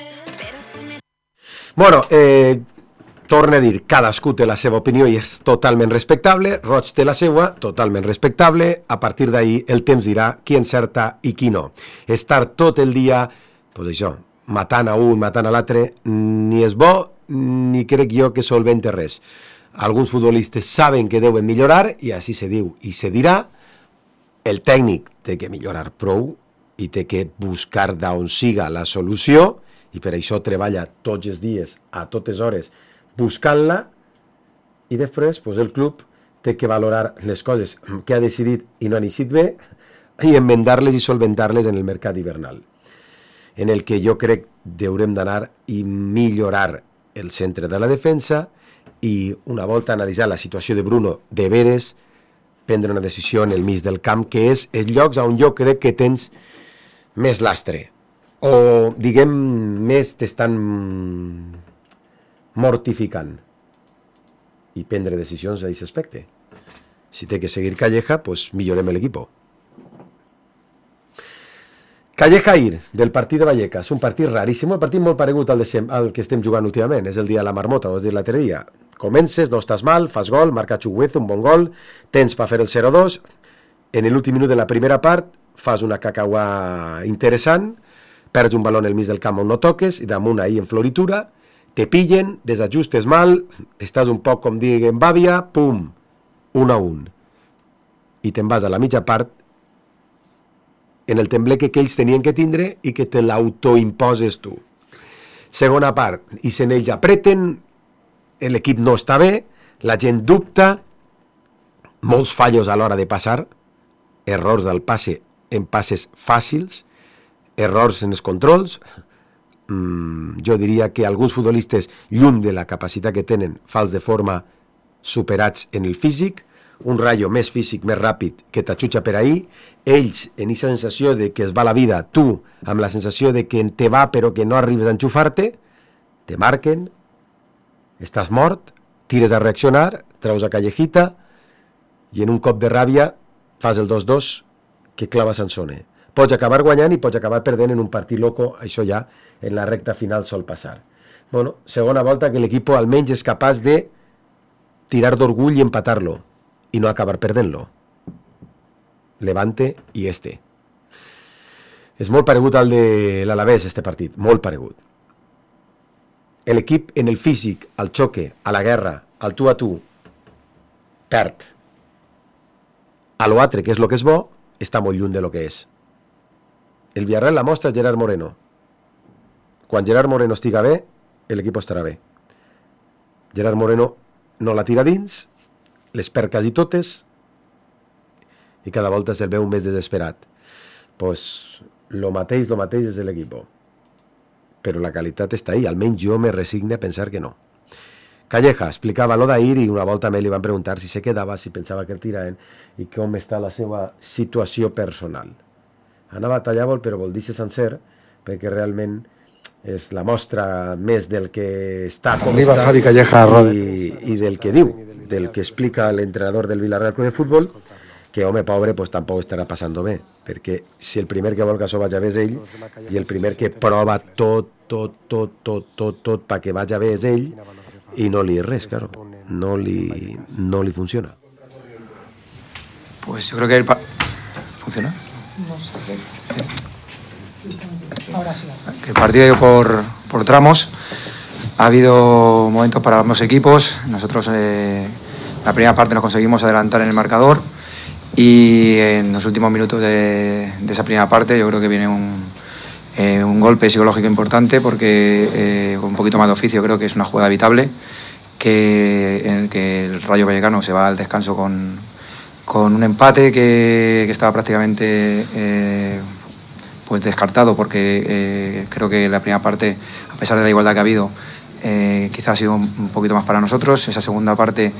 Bueno, torna a dir, cadascú té la seva opinió i és totalment respectable, Roig té la seva, totalment respectable, a partir d'ahir el temps dirà qui encerta i qui no. Estar tot el dia, doncs això, matant a un, matant a l'altre, ni és bo, ni crec jo que solvente res. Alguns futbolistes saben que deuen millorar, i així se diu i se dirà, el tècnic té que millorar prou, i té que buscar d'on siga la solució, i per això treballa tots els dies, a totes hores, buscant-la, i després pues, el club té que valorar les coses que ha decidit i no han eixit bé, i enmendar-les i solventar-les en el mercat hivernal, en el que jo crec haurem d'anar i millorar el centre de la defensa, i una volta analitzar la situació de Bruno de veres, prendre una decisió en el mig del camp, que és els llocs on jo crec que tens més lastre, o diguem més t'estan mortificant, i prendre decisions a aquest aspecte. Si té que seguir Calleja, pues millorem l'equip. Calleja-Ir, del partit de Vallecas, un partit raríssim, un partit molt paregut al que estem jugant últimament, és el dia de la marmota, ho has dit l'altre dia. Comences, no estàs mal, fas gol, marca Chuguezo, un bon gol, tens per fer el 0-2, en l'últim minut de la primera part fas una cacauà interessant, perds un baló en el mig del camp on no toques, i damunt ahir en floritura, te pillen, desajustes mal, estàs un poc com diguem bàvia, pum, 1-1. I te'n vas a la mitja part en el tembleque que ells tenien que tindre i que te l'autoimposes tu. Segona part, i se n'ells apreten, l'equip no està bé, la gent dubta, molts fallos a l'hora de passar, errors del passe en passes fàcils, errors en els controls. Jo diria que alguns futbolistes, lluny de la capacitat que tenen, fals de forma, superats en el físic, un Rayo més físic, més ràpid, que t'aixutxa per ahir, ells en aquesta sensació de que es va la vida, tu amb la sensació de que te va però que no arribes a enxufar-te, te marquen, estàs mort, tires a reaccionar, treus a Callejita, i en un cop de ràbia fas el 2-2 que clava Sansone. Pots acabar guanyant i pots acabar perdent en un partit loco, això ja en la recta final sol passar. Bueno, segona volta que l'equip almenys és capaç de tirar d'orgull i empatar-lo, i no acabar perdent-lo. Levante i este. És molt paregut al de l'Alavés, este partit, molt paregut. L'equip en el físic, al xoque, a la guerra, al tu a tu, perd. A l'altre, que és el que és bo, està molt lluny de lo que és. El Villarreal la mostra és Gerard Moreno. Quan Gerard Moreno estiga bé, l'equip estarà bé. Gerard Moreno no la tira dins, les perd quasi totes, i cada volta se'l veu més desesperat. Pues lo mateix és l'equip. Però la qualitat està ahí, almenys jo me resigne a pensar que no. Calleja explicava lo d'ahir i una volta a mi li van preguntar si se quedava, si pensava que el tiraven i com està la seva situació personal. Anava a tallar-vol, però vol dir-se sencer, perquè realment és la mostra més del que està com Arriba està Javi Calleja, i del que diu, del que explica l'entrenador del Villarreal Club de Futbol, que home pobre pues tampoc estarà passant bé, perquè si el primer que vol que això vagi bé és ell, i el primer que prova tot perquè vagi bé és ell, i no li és res, claro, no li funciona. Pues yo creo que ¿funciona? No sé. Ahora sí. Que el partido ha ido por tramos. Ha habido momentos para ambos equipos. Nosotros la primera parte nos conseguimos adelantar en el marcador y en los últimos minutos de esa primera parte yo creo que viene un golpe psicológico importante porque con un poquito más de oficio creo que es una jugada evitable en el que el Rayo Vallecano se va al descanso con un empate que estaba prácticamente pues descartado porque creo que la primera parte, a pesar de la igualdad que ha habido, quizás ha sido un poquito más para nosotros. Esa segunda parte,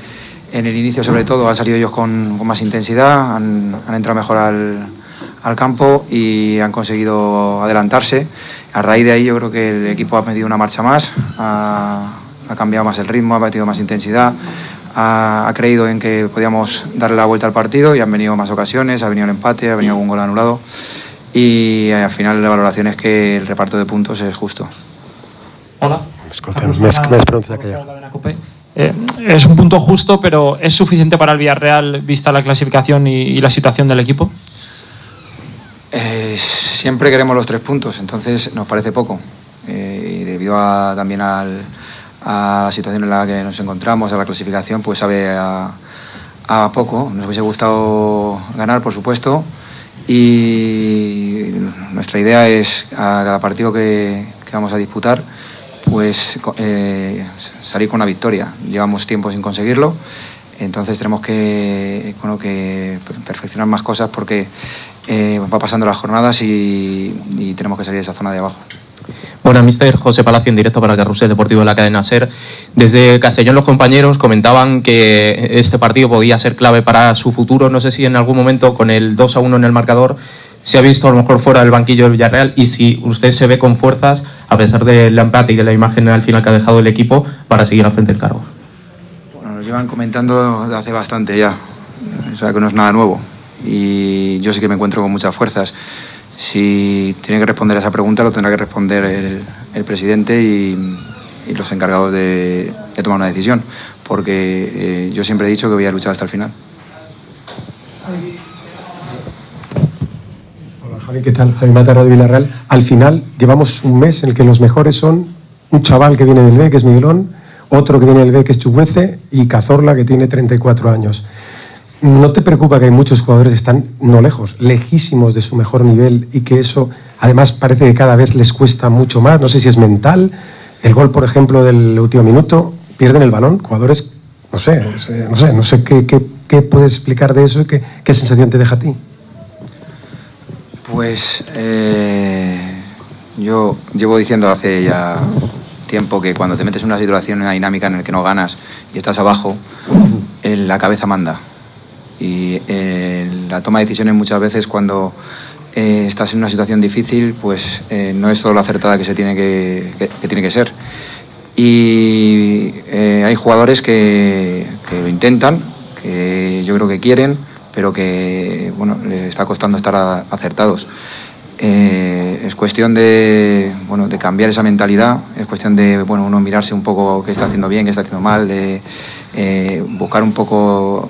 en el inicio sobre todo, han salido ellos con más intensidad, han entrado mejor al campo y han conseguido adelantarse. A raíz de ahí yo creo que el equipo ha metido una marcha más, ha cambiado más el ritmo, ha metido más intensidad, ha creído en que podíamos darle la vuelta al partido y han venido más ocasiones, ha venido el empate, ha venido algún gol anulado y al final la valoración es que el reparto de puntos es justo. Hola. Escoltem, més preguntes que es un punto justo, pero ¿es suficiente para el Villarreal vista la clasificación y la situación del equipo? Siempre queremos los 3 puntos, entonces nos parece poco. Y debido también a la situación en la que nos encontramos, a la clasificación, pues sabe a poco. Nos hubiese gustado ganar, por supuesto, y nuestra idea es a cada partido que vamos a disputar, pues salir con una victoria. Llevamos tiempo sin conseguirlo, entonces tenemos que perfeccionar más cosas porque va pasando las jornadas y tenemos que salir de esa zona de abajo. Bueno, mister José Palacio, en directo para Carrusel Deportivo de la cadena SER. Desde Castellón los compañeros comentaban que este partido podía ser clave para su futuro. No sé si en algún momento con el 2-1 en el marcador se ha visto a lo mejor fuera del banquillo del Villarreal y si usted se ve con fuerzas, a pesar del empate y de la imagen al final que ha dejado el equipo, para seguir al frente del cargo. Bueno, nos llevan comentando desde hace bastante ya, o sea que no es nada nuevo y yo sí que me encuentro con muchas fuerzas. Si tiene que responder a esa pregunta lo tendrá que responder el presidente y los encargados de tomar una decisión, porque yo siempre he dicho que voy a luchar hasta el final. Hola Javi, ¿qué tal? Javi Mata, Radio Villarreal. Al final llevamos un mes en el que los mejores son un chaval que viene del B, que es Miguelón, otro que viene del B, que es Chuguece, y Cazorla, que tiene 34 años. ¿No te preocupa que hay muchos jugadores que están no lejos, lejísimos de su mejor nivel y que eso además parece que cada vez les cuesta mucho más? No sé si es mental, el gol por ejemplo del último minuto, pierden el balón, jugadores, no sé qué puedes explicar de eso y qué sensación te deja a ti. Pues yo llevo diciendo hace ya tiempo que cuando te metes en una situación, en una dinámica en la que no ganas y estás abajo, la cabeza manda. Y la toma de decisiones muchas veces cuando estás en una situación difícil pues no es todo lo acertada que se tiene tiene que ser y hay jugadores que lo intentan, que yo creo que quieren, pero que bueno, les está costando estar acertados. Es cuestión de cambiar esa mentalidad, es cuestión de uno mirarse un poco qué está haciendo bien, qué está haciendo mal, de buscar un poco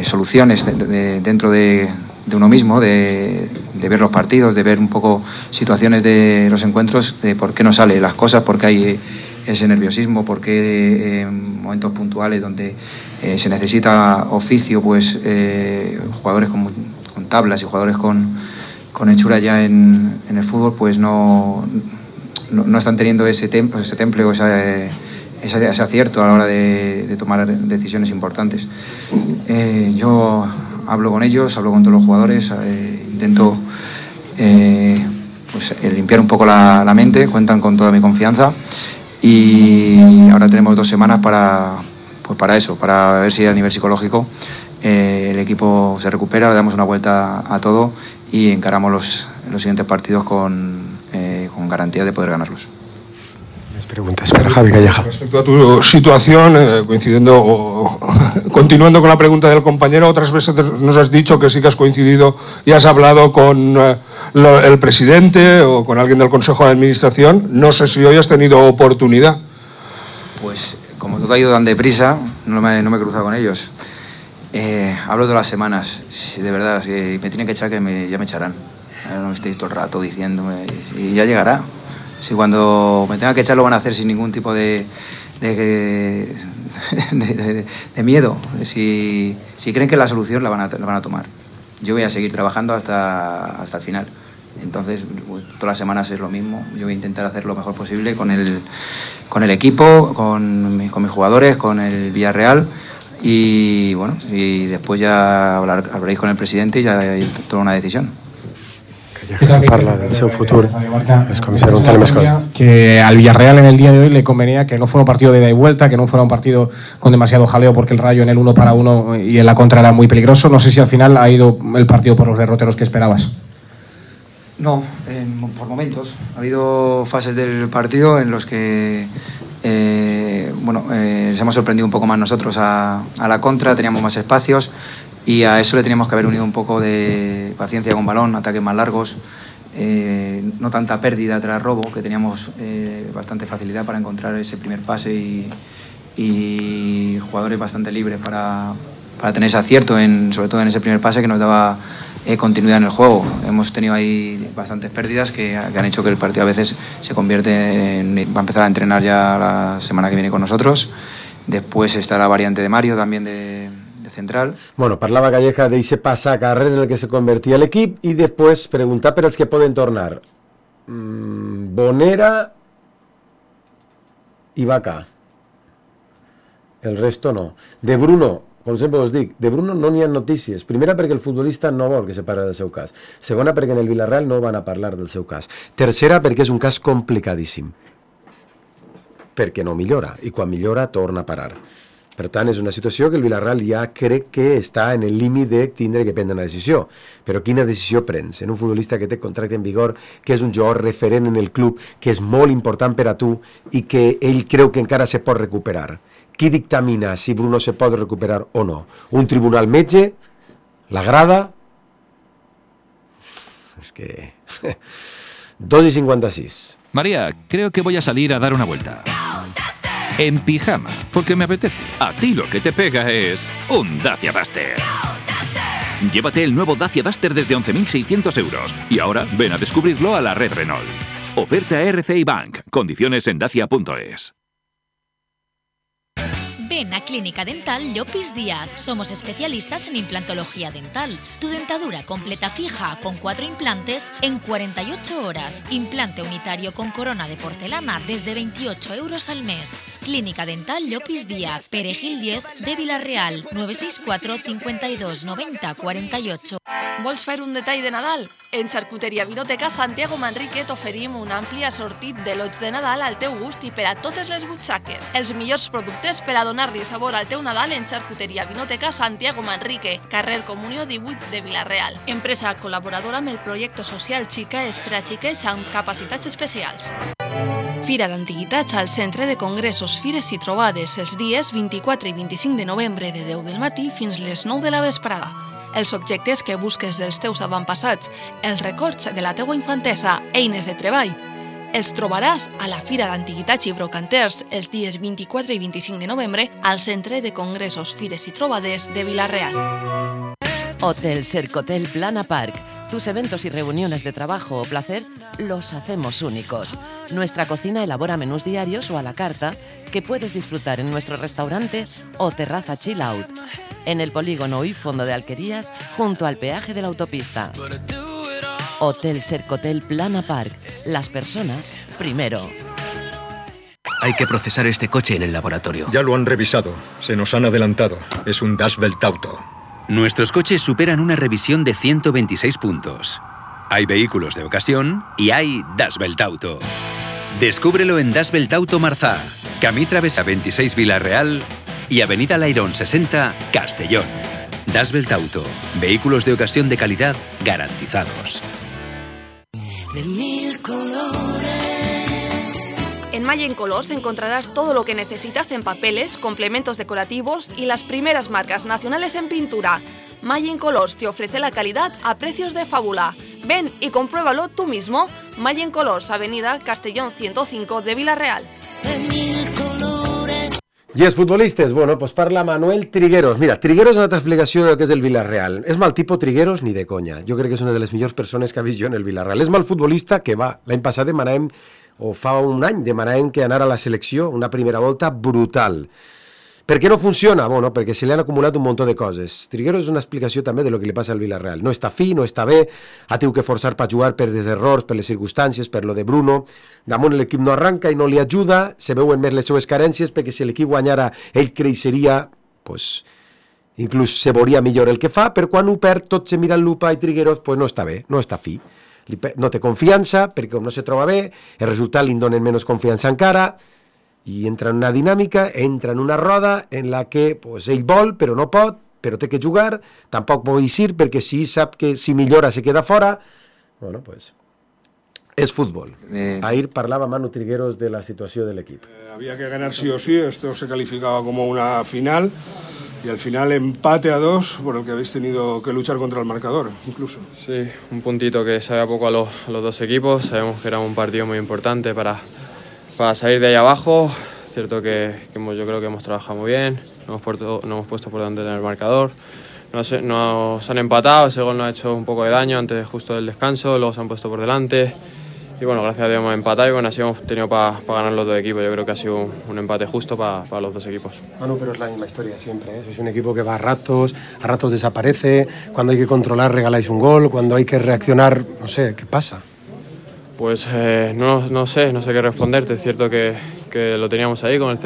soluciones dentro de uno mismo, de ver los partidos, de ver un poco situaciones de los encuentros, de por qué no salen las cosas, por qué hay ese nerviosismo, por qué en momentos puntuales donde se necesita oficio, pues jugadores con tablas y jugadores con hechura ya en el fútbol, pues no están teniendo ese temple o ese acierto a la hora de tomar decisiones importantes. Yo hablo con ellos, hablo con todos los jugadores, intento limpiar un poco la mente, cuentan con toda mi confianza y ahora tenemos 2 semanas para eso, para ver si a nivel psicológico el equipo se recupera, le damos una vuelta a todo y encaramos los siguientes partidos con garantía de poder ganarlos. Preguntas para Javi Calleja. Respecto a tu situación, continuando con la pregunta del compañero, otras veces nos has dicho que sí que has coincidido y has hablado con el presidente o con alguien del Consejo de Administración. No sé si hoy has tenido oportunidad. Pues como todo ha ido tan deprisa, no me he cruzado con ellos. Hablo todas las semanas, si de verdad, si me tienen que echar, ya me echarán. No me estéis todo el rato diciéndome y ya llegará. Si cuando me tenga que echar lo van a hacer sin ningún tipo de miedo. Si creen que la solución la van a tomar. Yo voy a seguir trabajando hasta el final. Entonces, todas las semanas es lo mismo. Yo voy a intentar hacer lo mejor posible con el equipo, con mis jugadores, con el Villarreal. Y bueno, y después ya hablaréis con el presidente y ya tomaré una decisión. Parla del seu futur. Es comisario que al Villarreal en el día de hoy le convenía que no fuera un partido de ida y vuelta, que no fuera un partido con demasiado jaleo, porque el Rayo en el 1-1 y en la contra era muy peligroso. No sé si al final ha ido el partido por los derroteros que esperabas. No, por momentos. Ha habido fases del partido en los que les hemos sorprendido un poco más nosotros a la contra, teníamos más espacios y a eso le teníamos que haber unido un poco de paciencia con balón, ataques más largos, no tanta pérdida tras robo, que teníamos bastante facilidad para encontrar ese primer pase y jugadores bastante libres para tener ese acierto, sobre todo en ese primer pase que nos daba continuidad en el juego. Hemos tenido ahí bastantes pérdidas que han hecho que el partido a veces se convierte va a empezar a entrenar ya la semana que viene con nosotros. Después está la variante de Mario también de central. Bueno, parlava Calleja d'eixe passacarrers en el que se convertia l'equip i després preguntar per als que poden tornar. Bonera i Vaca. El resto no. De Bruno, com sempre us dic, de Bruno no n'hi ha notícies. Primera, perquè el futbolista no vol que se parli del seu cas. Segona, perquè en el Villarreal no van a parlar del seu cas. Tercera, perquè és un cas complicadíssim. Perquè no millora, i quan millora torna a parar. Per tant, és una situació que el Villarreal ja crec que està en el límit de tindre que prendre una decisió. Però quina decisió prens? En un futbolista que té contracte en vigor, que és un jugador referent en el club, que és molt important per a tu i que ell creu que encara se pot recuperar. Qui dictamina si Bruno se pot recuperar o no? Un tribunal metge? La grada? Es que... 2:56. María, creo que voy a salir a dar una vuelta. En pijama, porque me apetece. A ti lo que te pega es un Dacia Duster. Llévate el nuevo Dacia Duster desde 11.600 euros. Y ahora ven a descubrirlo a la red Renault. Oferta RCI Bank. Condiciones en dacia.es. Ven a Clínica Dental Llopis Díaz. Somos especialistas en implantología dental. Tu dentadura completa fija con 4 implantes en 48 horas. Implante unitario con corona de porcelana desde 28 euros al mes. Clínica Dental Llopis Díaz, Perejil 10 de Vila-real, 964 52 90 48. Vols fer un detall de Nadal? En Xarcuteria Vinoteca Santiago Manrique t'oferim un ampli assortit de lots de Nadal al teu gust i per a totes les butxaques. Els millors productes per a donar-li sabor al teu Nadal en Xarcuteria Vinoteca Santiago Manrique, carrer Comunió 18 de Vila-real. Empresa col·laboradora amb el projecte social Xica és per a xiquets amb capacitats especials. Fira d'Antiguitats al Centre de Congressos, Fires i Trobades els dies 24 i 25 de novembre de 10 del matí fins les 9 de la vesprada. Els objectes que busques dels teus avantpassats, els records de la teua infantesa, eines de treball, els trobaràs a la Fira d'Antiguitats i Brocanters els dies 24 i 25 de novembre al Centre de Congressos, Fires i Trobades de Vila-real. Hotel Cercotel Plana Park. Tus eventos y reuniones de trabajo o placer los hacemos únicos. Nuestra cocina elabora menús diarios o a la carta que puedes disfrutar en nuestro restaurante o terraza chill out, en el polígono y fondo de Alquerías, junto al peaje de la autopista. Hotel Cercotel Plana Park. Las personas primero. Hay que procesar este coche en el laboratorio. Ya lo han revisado. Se nos han adelantado. Es un Das Welt Auto. Nuestros coches superan una revisión de 126 puntos. Hay vehículos de ocasión y hay Das Welt Auto. Descúbrelo en Das Welt Auto Marzá, Camí Travesa 26 Vila-real y Avenida Lairón 60 Castellón. Das Welt Auto. Vehículos de ocasión de calidad garantizados. De mil colores. En Mayen Colors encontrarás todo lo que necesitas en papeles, complementos decorativos y las primeras marcas nacionales en pintura. Mayen Colors te ofrece la calidad a precios de fábula. Ven y compruébalo tú mismo. Mayen Colors, Avenida Castellón 105 de Vila-real. I els futbolistes, bueno, pues parla Manuel Trigueros. Mira, Trigueros és una altra explicació del que és el Villarreal. És mal tipus Trigueros ni de conya. Jo crec que és una de les millors persones que ha vist jo en el Villarreal. És mal futbolista que va. L'any passat demanàvem, o fa un any, demanàvem que anara a la selecció, una primera volta brutal. Per què no funciona? Bueno, perquè se li han acumulat un munt de coses. Trigueros és una explicació també de lo que li passa al Villarreal. No està fi, no està bé, ha tingut que forçar per jugar per des errors, per les circumstàncies, per lo de Bruno. Damunt l'equip no arranca i no li ajuda, se veuen més les seues carències, perquè si l'equip guanyara ell creixeria, pues, inclús se veuria millor el que fa, però quan ho perd tot se mira en lupa i Trigueros pues, no està bé, no està fi. No té confiança, perquè com no se troba bé, el resultat li donen menys confiança encara, i entra en una dinàmica, entra en una roda en la que pues, ell vol, però no pot, però té que jugar, tampoc pot eixir, perquè si sap que si millora se queda fora. Bueno, pues, és futbol. Ahir parlava Manu Trigueros de la situació de l'equip. Había que ganar sí o sí, esto se calificaba como una final Y al final empate a 2 por el que habéis tenido que luchar contra el marcador, incluso. Sí, un puntito que sabía poco a los dos equipos. Sabemos que era un partido muy importante para salir de ahí abajo. Cierto que yo creo que hemos trabajado muy bien, nos hemos puesto por delante en el marcador. Nos han empatado, ese gol nos ha hecho un poco de daño antes justo del descanso, luego se han puesto por delante. Y bueno, gracias a Dios hemos empatado y bueno, así hemos tenido para ganar los dos equipos. Yo creo que ha sido un empate justo para los dos equipos. Manu, pero es la misma historia siempre, ¿eh? Sois un equipo que va a ratos desaparece, cuando hay que controlar regaláis un gol, cuando hay que reaccionar, no sé, ¿qué pasa? Pues no sé qué responderte. Es cierto que lo teníamos ahí con el